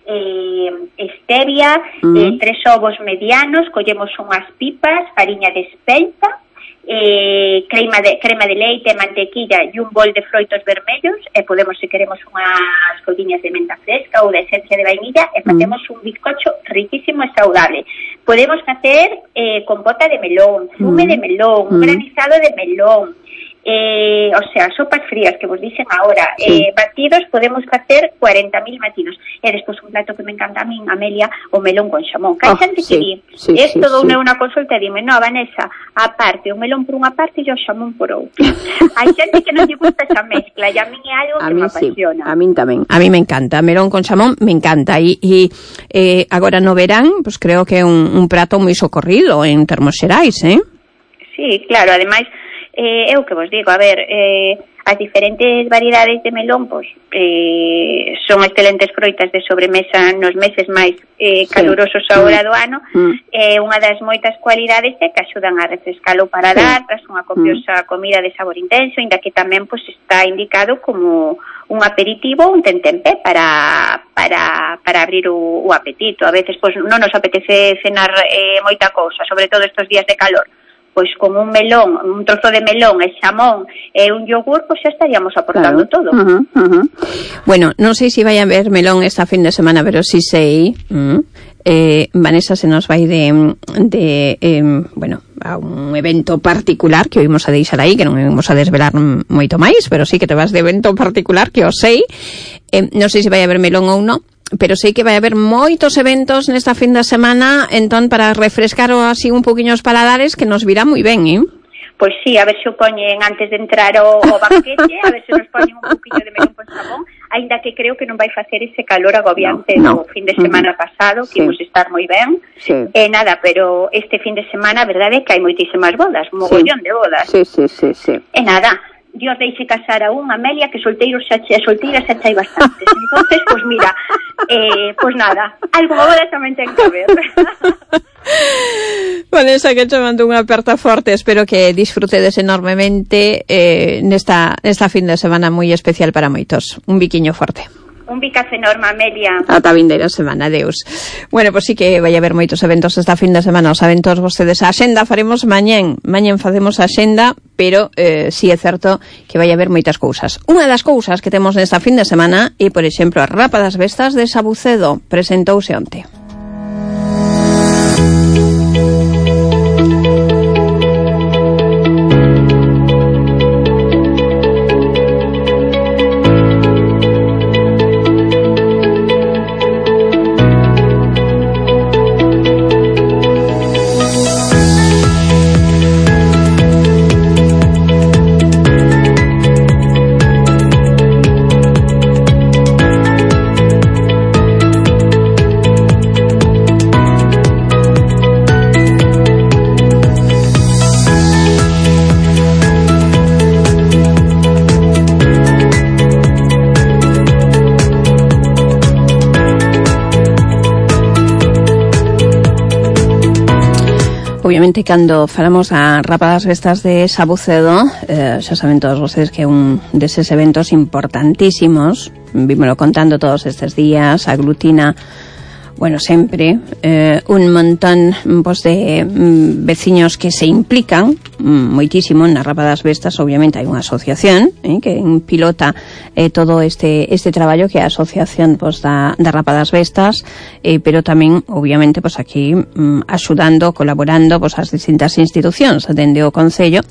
eh, stevia, mm. eh, tres ovos medianos, collemos unhas pipas, fariña de espelta, eh, crema de crema de leite, mantequilla e un bol de froitos vermellos, e podemos, se queremos, unhas folliñas de menta fresca ou de esencia de vainilla, e facemos mm. un bizcocho riquísimo e saudable. Podemos facer eh, compota de melón, fume mm. de melón, mm. un granizado de melón, eh, o sea, sopas frías que vos dicen ahora, sí. eh, batidos, podemos facer cuarenta mil batidos. E despois un plato que me encanta a min, Amelia, o melón con xamón. Que hai oh, xente sí, que di, sí, esto sí, dou sí. unha consulta e dime, no, Vanessa, aparte, o melón por unha parte e o xamón por outra. Hai xente que non lle gusta esa mezcla, e a min é algo a que me apasiona. Sí, a min tamén. A mí me encanta, melón con xamón me encanta. E, e eh, agora no verán, pues creo que é un, un prato moi socorrido en termos xerais, eh? Sí, claro, ademais, Eh, é o que vos digo, a ver, eh, as diferentes variedades de melón, pois, eh, son excelentes froitas de sobremesa nos meses máis eh, calurosos sí. agora do ano. Mm. Eh, unha das moitas cualidades é que axudan a refrescar o paladar, tras unha copiosa mm. comida de sabor intenso, inda que tamén pois, está indicado como un aperitivo ou un tentempe para, para, para abrir o, o apetito. A veces pois, non nos apetece cenar eh, moita cousa, sobre todo estos días de calor. Pois con un melón, un trozo de melón e xamón e un yogur, pois xa estaríamos aportando claro. todo. Uh-huh, uh-huh. Bueno, non sei se vai a haber melón esta fin de semana, pero si sei, uh, eh, Vanessa se nos vai de, de eh, bueno, a un evento particular que oímos a deixar aí, que non vamos a desvelar moito máis, pero sí que te vas de evento particular que o sei. Eh, non sei se vai haber melón ou non, pero sei que vai haber moitos eventos nesta fin de semana, entón para refrescar así un poquinho os paladares, que nos virá moi ben, eh? Pois sí, a ver se o poñen antes de entrar o, o banquete, a ver se nos poñen un poquinho de melón con sabón, aínda que creo que non vai facer ese calor agobiante no, no. do fin de semana uh-huh. pasado, que sí. imos estar moi ben. Sí. E eh, nada, pero este fin de semana, a verdade é que hai moitísimas bodas, un mogollón sí. de bodas. Sí, sí, sí, sí. E nada, Dios deixe casar a un, Amelia, que solteiros xa, solteiras xa hai bastantes. Entonces, pois pues mira, eh, pois pues nada, algo boda tamén ten que ver. Vanessa, que te mando unha aperta forte, espero que disfrutedes enormemente eh, nesta, nesta fin de semana moi especial para moitos. Un biquiño forte. Un bicazo enorme, Amelia. Ata vindeira semana, adeus. Bueno, pois pues sí que vai haber moitos eventos esta fin de semana, os eventos vostedes. A xenda faremos mañén, mañén facemos a xenda, pero eh, sí é certo que vai haber moitas cousas. Unha das cousas que temos nesta fin de semana é, por exemplo, a Rapa das Vestas de Sabucedo, presentouse onte. Obviamente, cando falamos a Rapa das Vestas de Sabucedo, eh, xa saben todos vocês que é un deses eventos importantísimos, vímolo contando todos estes días, aglutina, bueno, sempre eh, un montón pues, de mm, veciños que se implican mm, moitísimo na Rapa das Vestas. Obviamente hai unha asociación eh, que pilota eh, todo este este traballo, que é a asociación pues, da, da Rapa das Vestas, eh, pero tamén, obviamente, pues, aquí mm, axudando, colaborando pues, as distintas institucións dende o Concello,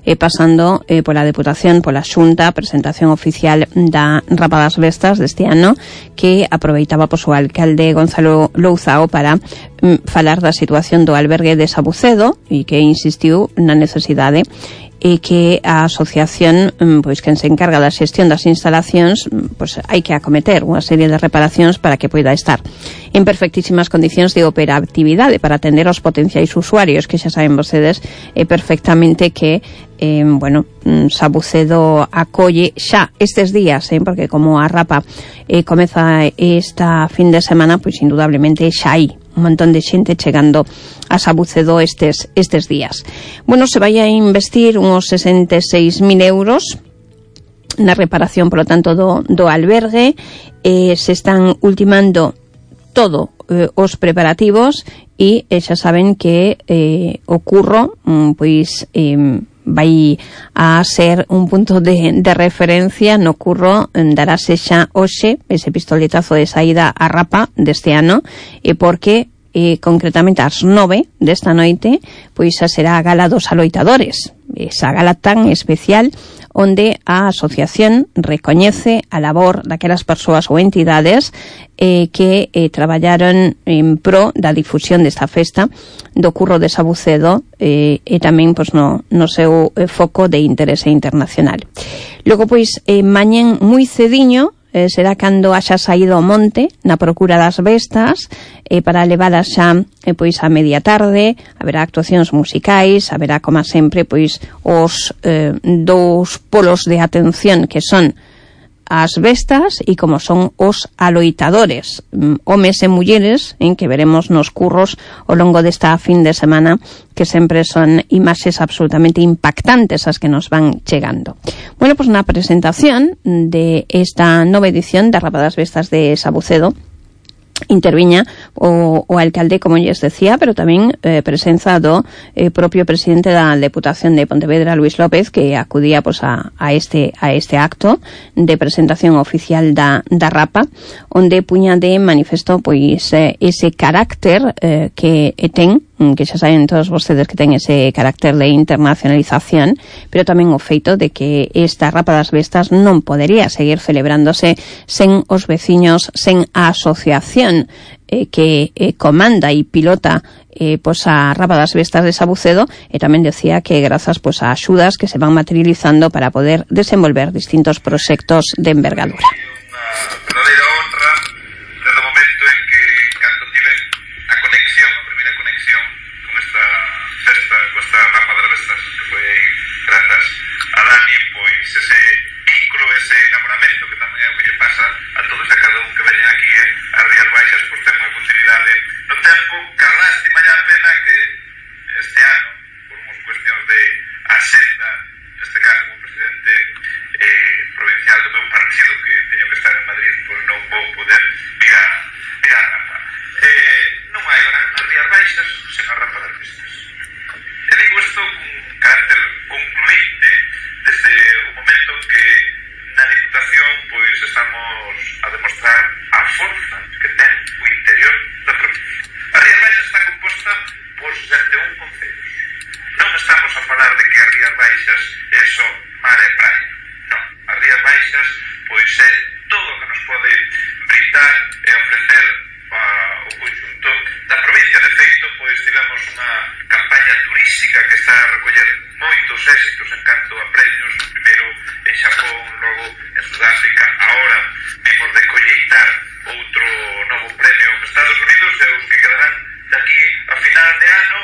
eh, pasando eh, pola Deputación, pola Xunta, presentación oficial da Rapa das Vestas deste ano, que aproveitaba pues, o alcalde Gonzalo Louzao para mm, falar da situación do albergue de Sabucedo, e que insistiu na necesidade e que a asociación, pois quen se encarga da xestión das instalacións, pois hai que acometer unha serie de reparacións para que poida estar en perfectísimas condicións de operatividade para atender aos potenciais usuarios, que xa saben vocedes eh, perfectamente que eh, bueno, Sabucedo acolle xa estes días, eh, porque como a Rapa eh, comeza esta fin de semana, pois indudablemente xa hai un montón de xente chegando a Sabucedo estes, estes días. Bueno, se vai a investir uns sesenta e seis mil euros na reparación, polo tanto, do, do albergue. Eh, se están ultimando todo eh, os preparativos e eh, xa saben que eh, o curro mm, pois eh, vai a ser un punto de, de referencia no curro. Darase xa hoxe ese pistoletazo de saída a Rapa deste ano, e porque eh, concretamente ás nove desta noite pois xa será a gala dos aloitadores, esa gala tan especial onde a asociación recoñece a labor daquelas persoas ou entidades eh, que eh, traballaron en pro da difusión desta festa do curro de Sabucedo eh, e tamén pois, no, no seu eh, foco de interese internacional. Logo, pois, eh, mañén moi cediño eh, será cando haxa saído ao monte na procura das bestas eh, para levadas xa eh, pois a media tarde. Haberá actuacións musicais, haberá, como sempre, pois os eh, dous polos de atención que son as bestas e como son os aloitadores, homes e mulleres, en que veremos nos curros ao longo desta fin de semana, que sempre son imaxes absolutamente impactantes as que nos van chegando. Bueno, pois na presentación de esta nova edición da Rapa das Vestas de Sabucedo interviña o, o alcalde, como lles decía, pero tamén eh, presenza do eh, propio presidente da Deputación de Pontevedra, Luis López, que acudía pues, a, a, este, a este acto de presentación oficial da, da Rapa, onde puña de manifesto pois, eh, ese carácter eh, que ten que xa saben todos vostedes que ten ese carácter de internacionalización, pero tamén o feito de que esta Rapa das Bestas non podería seguir celebrándose sen os veciños, sen a asociación eh, que eh, comanda e pilota eh, pues a Rapa das Bestas de Sabucedo, e tamén decía que grazas pues a axudas que se van materializando para poder desenvolver distintos proxectos de envergadura. Verdadeira honra desde o momento en que cando tive a conexión, a primeira conexión con esta festa, con esta Rapa das Bestas, que foi grazas a Dani, pois ese vínculo, ese enamoramento que tamén é o que lle pasa a todos e a cada un que veñen aquí a Rías Baixas, pois ten unha continuidade no tempo, que a lástima ya a pena que este ano, por unhas cuestións de axenda, neste caso como presidente eh, provincial do meu partido, que teño que estar en Madrid, pois non vou poder vir a, vir a Rapa. Eh, non hai gran nas Rías Baixas sen a Rapa das Bestas. E digo isto con carácter concluinte desde o momento que na Diputación pois estamos a demostrar a forza que ten o interior da provincia. A Rías Baixas está composta por sesenta e un concellos. Non estamos a falar de que a Rías Baixas é só mar e praia. Non, a Rías Baixas pois é todo o que nos pode brindar e ofrecer a, o conjunto da provincia. De feito, pois tivemos unha campaña turística que está a recoller moitos éxitos en canto a premios, primeiro en Xapón, logo en Sudáfrica, ahora vimos de colleitar outro novo premio en Estados Unidos e os que quedarán daqui a final de ano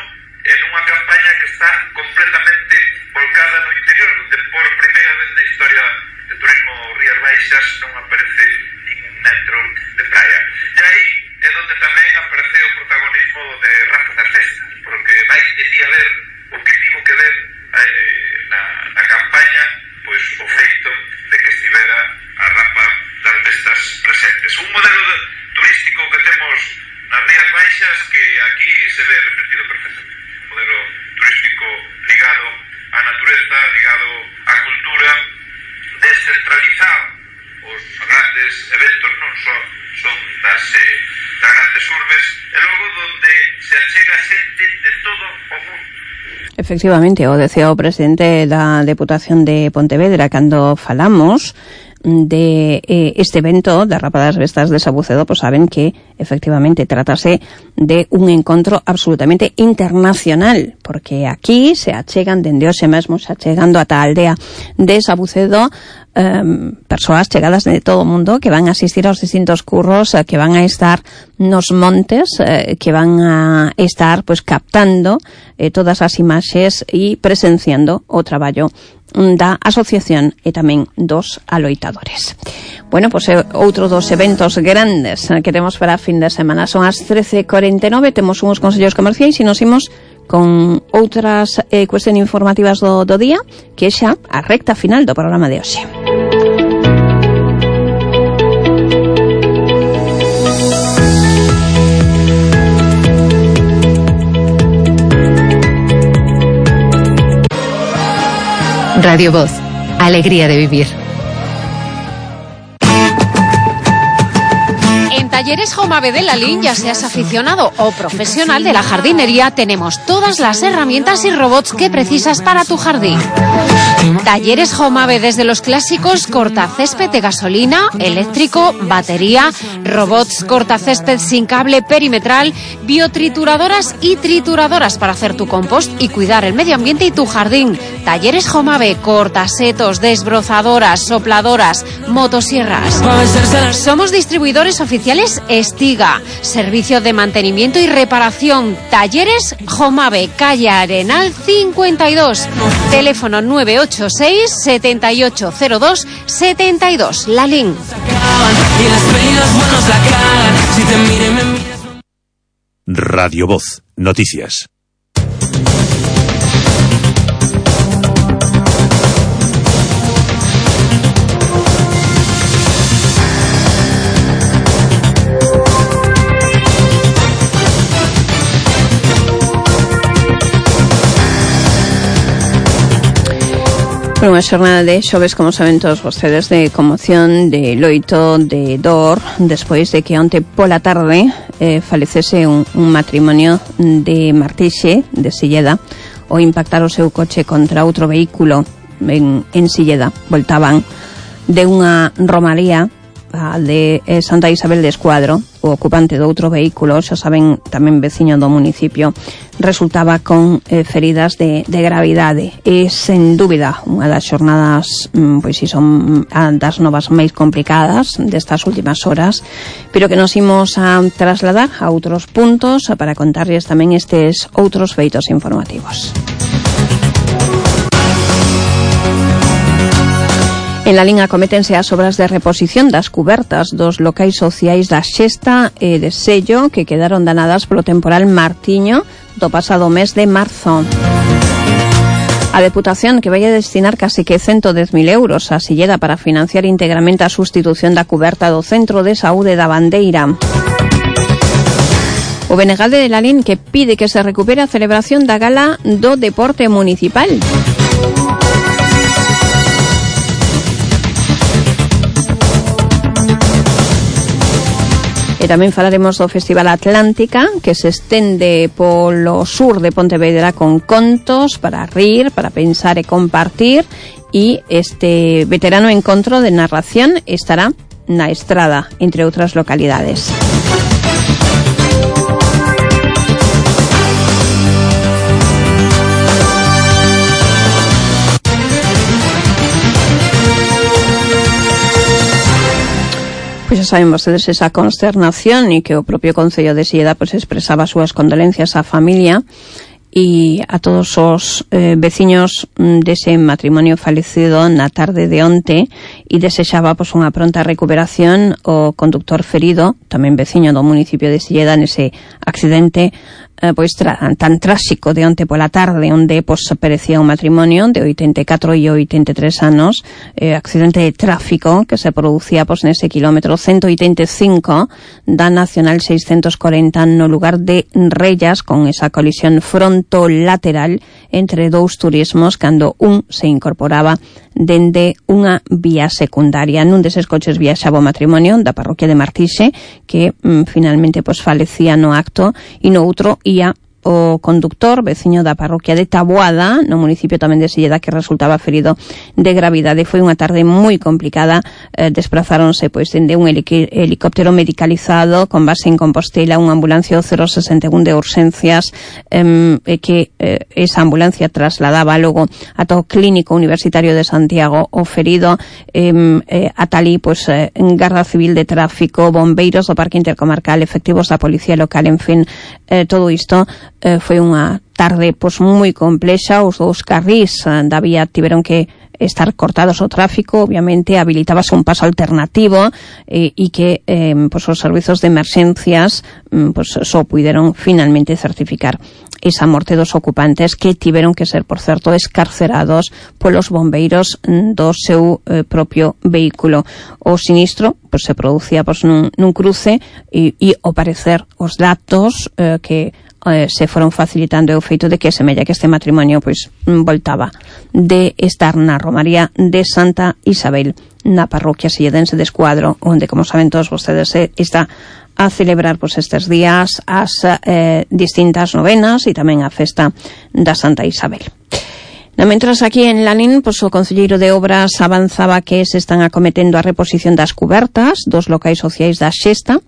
en unha campaña que está completamente volcada no interior, donde por primeira vez na historia de turismo Rías Baixas non aparece ningún metro de praia. E aí é donde tamén aparece o protagonismo de Rapa das Bestas, porque vai debía ver o que tivo que ver eh, na, na campaña pois o feito de que estivera a Rapa das Bestas presentes. Un modelo de, turístico que temos nas Rías Baixas que aquí se ve repetido perfectamente. Un modelo turístico ligado á natureza, ligado á cultura, descentralizado. Os grandes eventos non só son das, eh, das grandes urbes, e logo donde se achega xente de todo o mundo. Efectivamente, o decía o presidente da Deputación de Pontevedra cando falamos de eh, este evento da Rapa das Bestas de Sabucedo, pues saben que efectivamente tratase de un encontro absolutamente internacional, porque aquí se achegan dende hoxe mesmo, se achegando ata a aldea de Sabucedo Um, persoas chegadas de todo o mundo que van a asistir aos distintos curros, uh, que van a estar nos montes, uh, que van a estar pues captando eh, todas as imaxes e presenciando o traballo da asociación e tamén dos aloitadores. Bueno, pois pues, outro dos eventos grandes que temos para a fin de semana son as trece e cuarenta e nove, temos uns consellos comerciais e nos imos con outras eh, cuestións informativas do, do día, que é xa a recta final do programa de hoxe. Radio Voz, alegría de vivir. En Talleres Jomave de Lalín, ya seas aficionado o profesional de la jardinería, tenemos todas las herramientas y robots que precisas para tu jardín. Talleres Jomave, desde los clásicos cortacésped de gasolina, eléctrico, batería, robots cortacésped sin cable perimetral, biotrituradoras y trituradoras para hacer tu compost y cuidar el medio ambiente y tu jardín. Talleres Jomave, cortasetos, desbrozadoras, sopladoras, motosierras. Somos distribuidores oficiales Estiga, servicio de mantenimiento y reparación. Talleres Jomave, calle Arenal cincuenta y dos, teléfono nueve ocho seis, siete ocho cero dos, siete dos, Lalín. Radio Voz, noticias. Foi unha xornada de xoves, como saben todos vostedes, de conmoción, de loito, de dor, despois de que onte pola tarde eh, falecese un, un matrimonio de Martixe, de Silleda, ao impactar o seu coche contra outro vehículo en, en Silleda. Voltaban de unha romaría a de eh, Santa Isabel de Escuadro. O ocupante do outro vehículo, xa saben, tamén veciño do municipio, resultaba con eh, feridas de, de gravidade. E, sen dúbida, unha das xornadas, mm, pois si son das novas máis complicadas destas últimas horas, pero que nos imos a trasladar a outros puntos para contarles tamén estes outros feitos informativos. En la liña cométense as obras de reposición das cubertas dos locais sociais da Xesta e de Sello que quedaron danadas polo temporal Martiño do pasado mes de marzo. A Deputación que vai a destinar case que ciento dez mil euros a Silleda para financiar íntegramente a sustitución da cuberta do Centro de Saúde da Bandeira. O Benegalde de Lalín que pide que se recupere a celebración da gala do deporte municipal. E tamén falaremos do Festival Atlántica, que se estende polo sur de Pontevedra con contos para rir, para pensar e compartir, e este veterano encontro de narración estará na Estrada, entre outras localidades. Pois xa saben vostedes esa consternación e que o propio Concello de Silleda pois expresaba as súas condolencias á familia e a todos os eh, veciños dese matrimonio falecido na tarde de onte e desexaba pois unha pronta recuperación o conductor ferido, tamén veciño do municipio de Silleda nese accidente eh, pois tra tan tráxico de onte pola tarde onde pois perecía un matrimonio de oitenta e catro e oitenta e tres anos, eh, accidente de tráfico que se producía pois nese kilómetro ciento oitenta e cinco da Nacional seiscentos cuarenta no lugar de Rellas, con esa colisión frontolateral entre dous turismos cando un se incorporaba dende unha vía secundaria. Nun deses coches viaxaba o matrimonio da parroquia de Martixe que mm, finalmente pois falecía no acto e no outro ia o conductor, veciño da parroquia de Taboada, no municipio tamén de Silleda, que resultaba ferido de gravidade. Foi unha tarde moi complicada, eh, desplazáronse pois dende un helicóptero medicalizado con base en Compostela, unha ambulancia cero sesenta e un de urxencias, eh, que eh, esa ambulancia trasladaba logo ata o Clínico Universitario de Santiago o ferido, eh, eh, ata ali, pois, eh, Garda Civil de Tráfico, bombeiros do Parque Intercomarcal, efectivos da Policía Local, en fin, eh, todo isto Eh, foi unha tarde pois moi complexa. Os dous carrís eh, da vía tiveron que estar cortados o tráfico, obviamente habilitábase un paso alternativo e eh, que eh, pois os servizos de emerxencias mm, pois só puideron finalmente certificar esa morte dos ocupantes, que tiveron que ser, por certo, escarcerados polos bombeiros mm, do seu eh, propio vehículo. O sinistro pois se producía pois nun, nun cruce e, e ao parecer os datos eh, que Eh, se foron facilitando o feito de que semella que este matrimonio pois voltaba de estar na romaría de Santa Isabel na parroquia silledense de Escuadro, onde, como saben todos vostedes, eh, está a celebrar pois estes días as eh, distintas novenas e tamén a festa da Santa Isabel. No, mentras aquí en Lalín, pois o concelleiro de Obras avanzaba que se están acometendo a reposición das cubertas dos locais sociais da Xesta,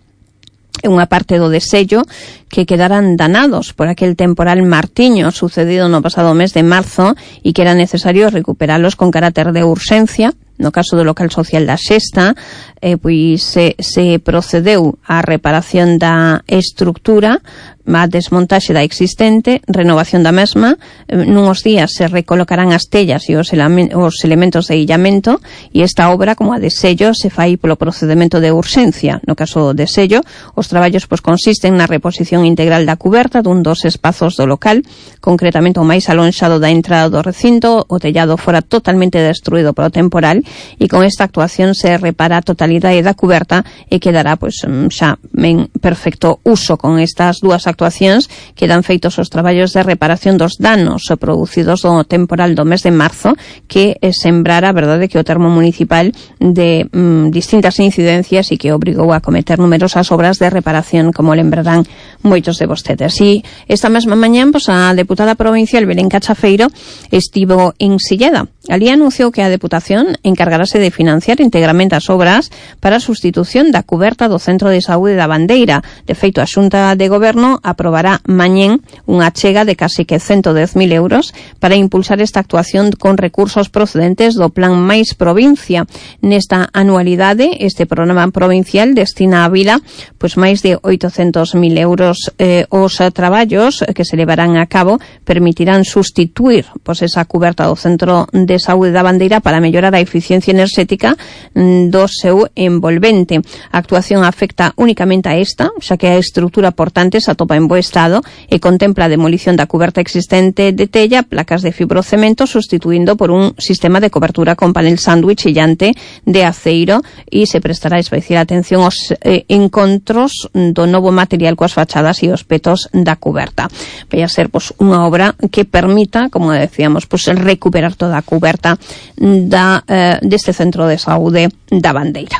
unha parte do desello que quedaran danados por aquel temporal Martiño sucedido no pasado mes de marzo e que era necesario recuperalos con carácter de urxencia. No caso do local social da Xesta, eh, pois se, se procedeu á reparación da estructura, a desmontaxe da existente, renovación da mesma. Eh, nuns días se recolocarán as tellas e os, os elementos de illamento, e esta obra, como a de sello, se fai polo procedimento de urxencia. No caso de sello, os traballos pois consisten na reposición integral da cuberta dun dos espazos do local, concretamente o máis alonxado da entrada do recinto. O tellado fora totalmente destruído polo temporal, e con esta actuación se repara a totalidade da cuberta e quedará pois xa en perfecto uso. Con estas dúas actuacións quedan feitos os traballos de reparación dos danos producidos do temporal do mes de marzo, que sembrara, a verdade, que o termo municipal de mm, distintas incidencias e que obrigou a cometer numerosas obras de reparación, como lembrarán moitos de vostedes. E esta mesma mañán, pois, a deputada provincial Belén Cachafeiro estivo en Silleda. Alí anunciou que a Deputación encargarase de financiar íntegramente as obras para a sustitución da cuberta do Centro de Saúde da Bandeira. De feito, a Xunta de Goberno aprobará mañén unha achega de casi que ciento dez mil euros para impulsar esta actuación con recursos procedentes do Plan Máis Provincia. Nesta anualidade, este programa provincial destina a Vila pois máis de oitocentos mil euros. Eh, os traballos que se levarán a cabo permitirán sustituir pois esa cuberta do Centro de Saúde da Bandeira para mellorar a eficiencia enerxética do seu envolvente. A actuación afecta únicamente a esta, xa que a estrutura portante se atopa en bo estado e contempla a demolición da cuberta existente de tella, placas de fibrocemento, sustituindo por un sistema de cobertura con panel sándwich illante de aceiro, e se prestará especial atención aos eh, encontros do novo material coas fachadas e os petos da cuberta. Vai a ser pois unha obra que permita, como decíamos, pois recuperar toda a cuberta da, eh, deste Centro de Saúde da Bandeira.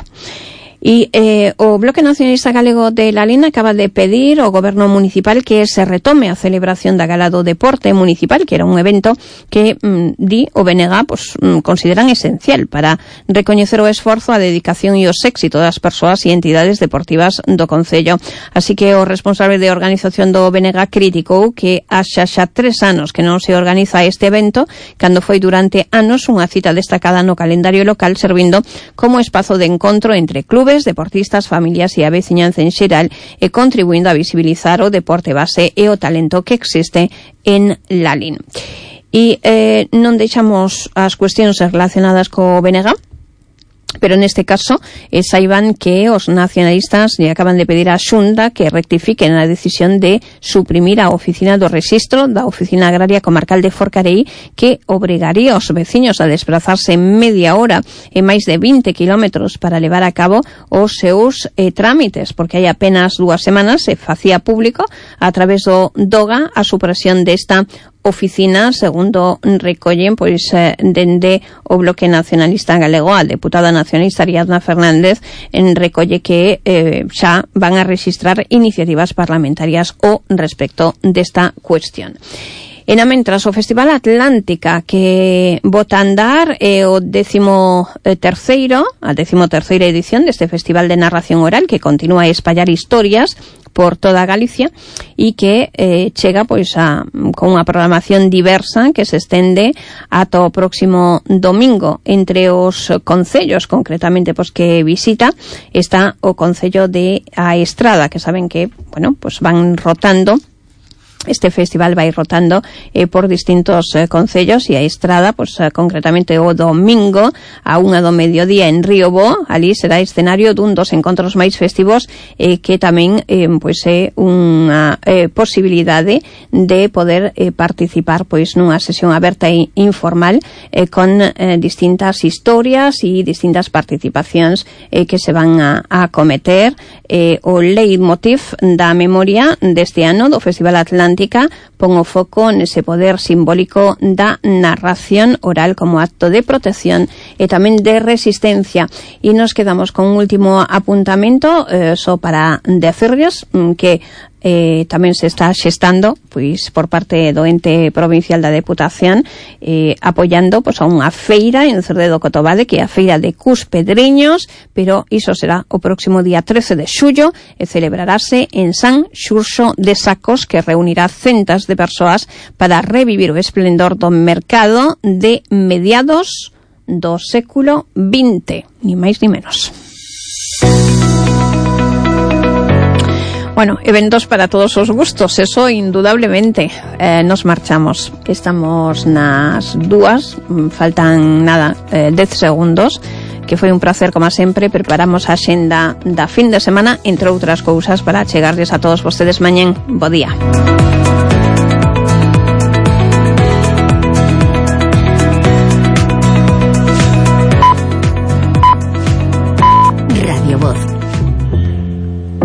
E eh, o Bloque Nacionalista Galego de Lalín acaba de pedir ao Goberno Municipal que se retome a celebración da Gala do Deporte Municipal, que era un evento que mm, di o B N G pues, mm, consideran esencial para recoñecer o esforzo, a dedicación e os éxitos das persoas e entidades deportivas do Concello. Así que o responsable de organización do B N G criticou que haxa xa tres anos que non se organiza este evento, cando foi durante anos unha cita destacada no calendario local, servindo como espazo de encontro entre clubes, deportistas, familias e a veciñanza en xeral, e contribuindo a visibilizar o deporte base e o talento que existe en Lalín. E eh, non deixamos as cuestións relacionadas co B N G, pero neste caso eh, saiban que os nacionalistas lle acaban de pedir á Xunta que rectifiquen a decisión de suprimir a oficina do Rexistro da Oficina Agraria Comarcal de Forcarei, que obrigaría aos veciños a desplazarse media hora e máis de vinte kilómetros para levar a cabo os seus eh, trámites, porque hai apenas dúas semanas se facía público a través do DOGA a supresión desta oficina, segundo recollen pois eh, dende o Bloque Nacionalista Galego. A deputada nacionalista Ariadna Fernández en recolle que eh, xa van a registrar iniciativas parlamentarias ao respecto desta cuestión. E na mentras, o Festival Atlántica, que bota a andar é o décimo terceiro, a décimo terceira edición deste Festival de Narración Oral, que continúa a espallar historias por toda Galicia e que eh, chega pois a, con unha programación diversa que se estende ata o próximo domingo. Entre os concellos, concretamente, pois que visita, está o concello de A Estrada, que saben que, bueno, pois van rotando. Este festival vai rotando eh, por distintos eh, concellos, e a Estrada, pues, eh, concretamente o domingo a unha do mediodía en Río Bo, ali será escenario dun dos encontros máis festivos, eh, que tamén eh, pues, é unha eh, posibilidade de poder eh, participar pois nunha sesión aberta e informal eh, con eh, distintas historias e distintas participacións eh, que se van a, a cometer. Eh, o leitmotiv da memoria deste ano do Festival Atlántica pon o foco nese poder simbólico da narración oral como acto de protección e tamén de resistencia. E nos quedamos con un último apuntamento eh, só para decirles que Eh, tamén se está xestando pois por parte do ente provincial da Deputación eh, apoiando pois a unha feira en Cerdedo Cotobade, que é a feira de Cuspedreños, pero iso será o próximo día trece de xullo e celebrarase en San Xurxo de Sacos, que reunirá centas de persoas para revivir o esplendor do mercado de mediados do século vinte, ni máis ni menos. Bueno, eventos para todos os gustos, eso indudablemente. Eh, nos marchamos, estamos nas dúas, faltan nada, eh, dez segundos, que foi un placer, como sempre. Preparamos a xenda da fin de semana, entre outras cousas, para chegarles a todos vostedes mañén. Bo día.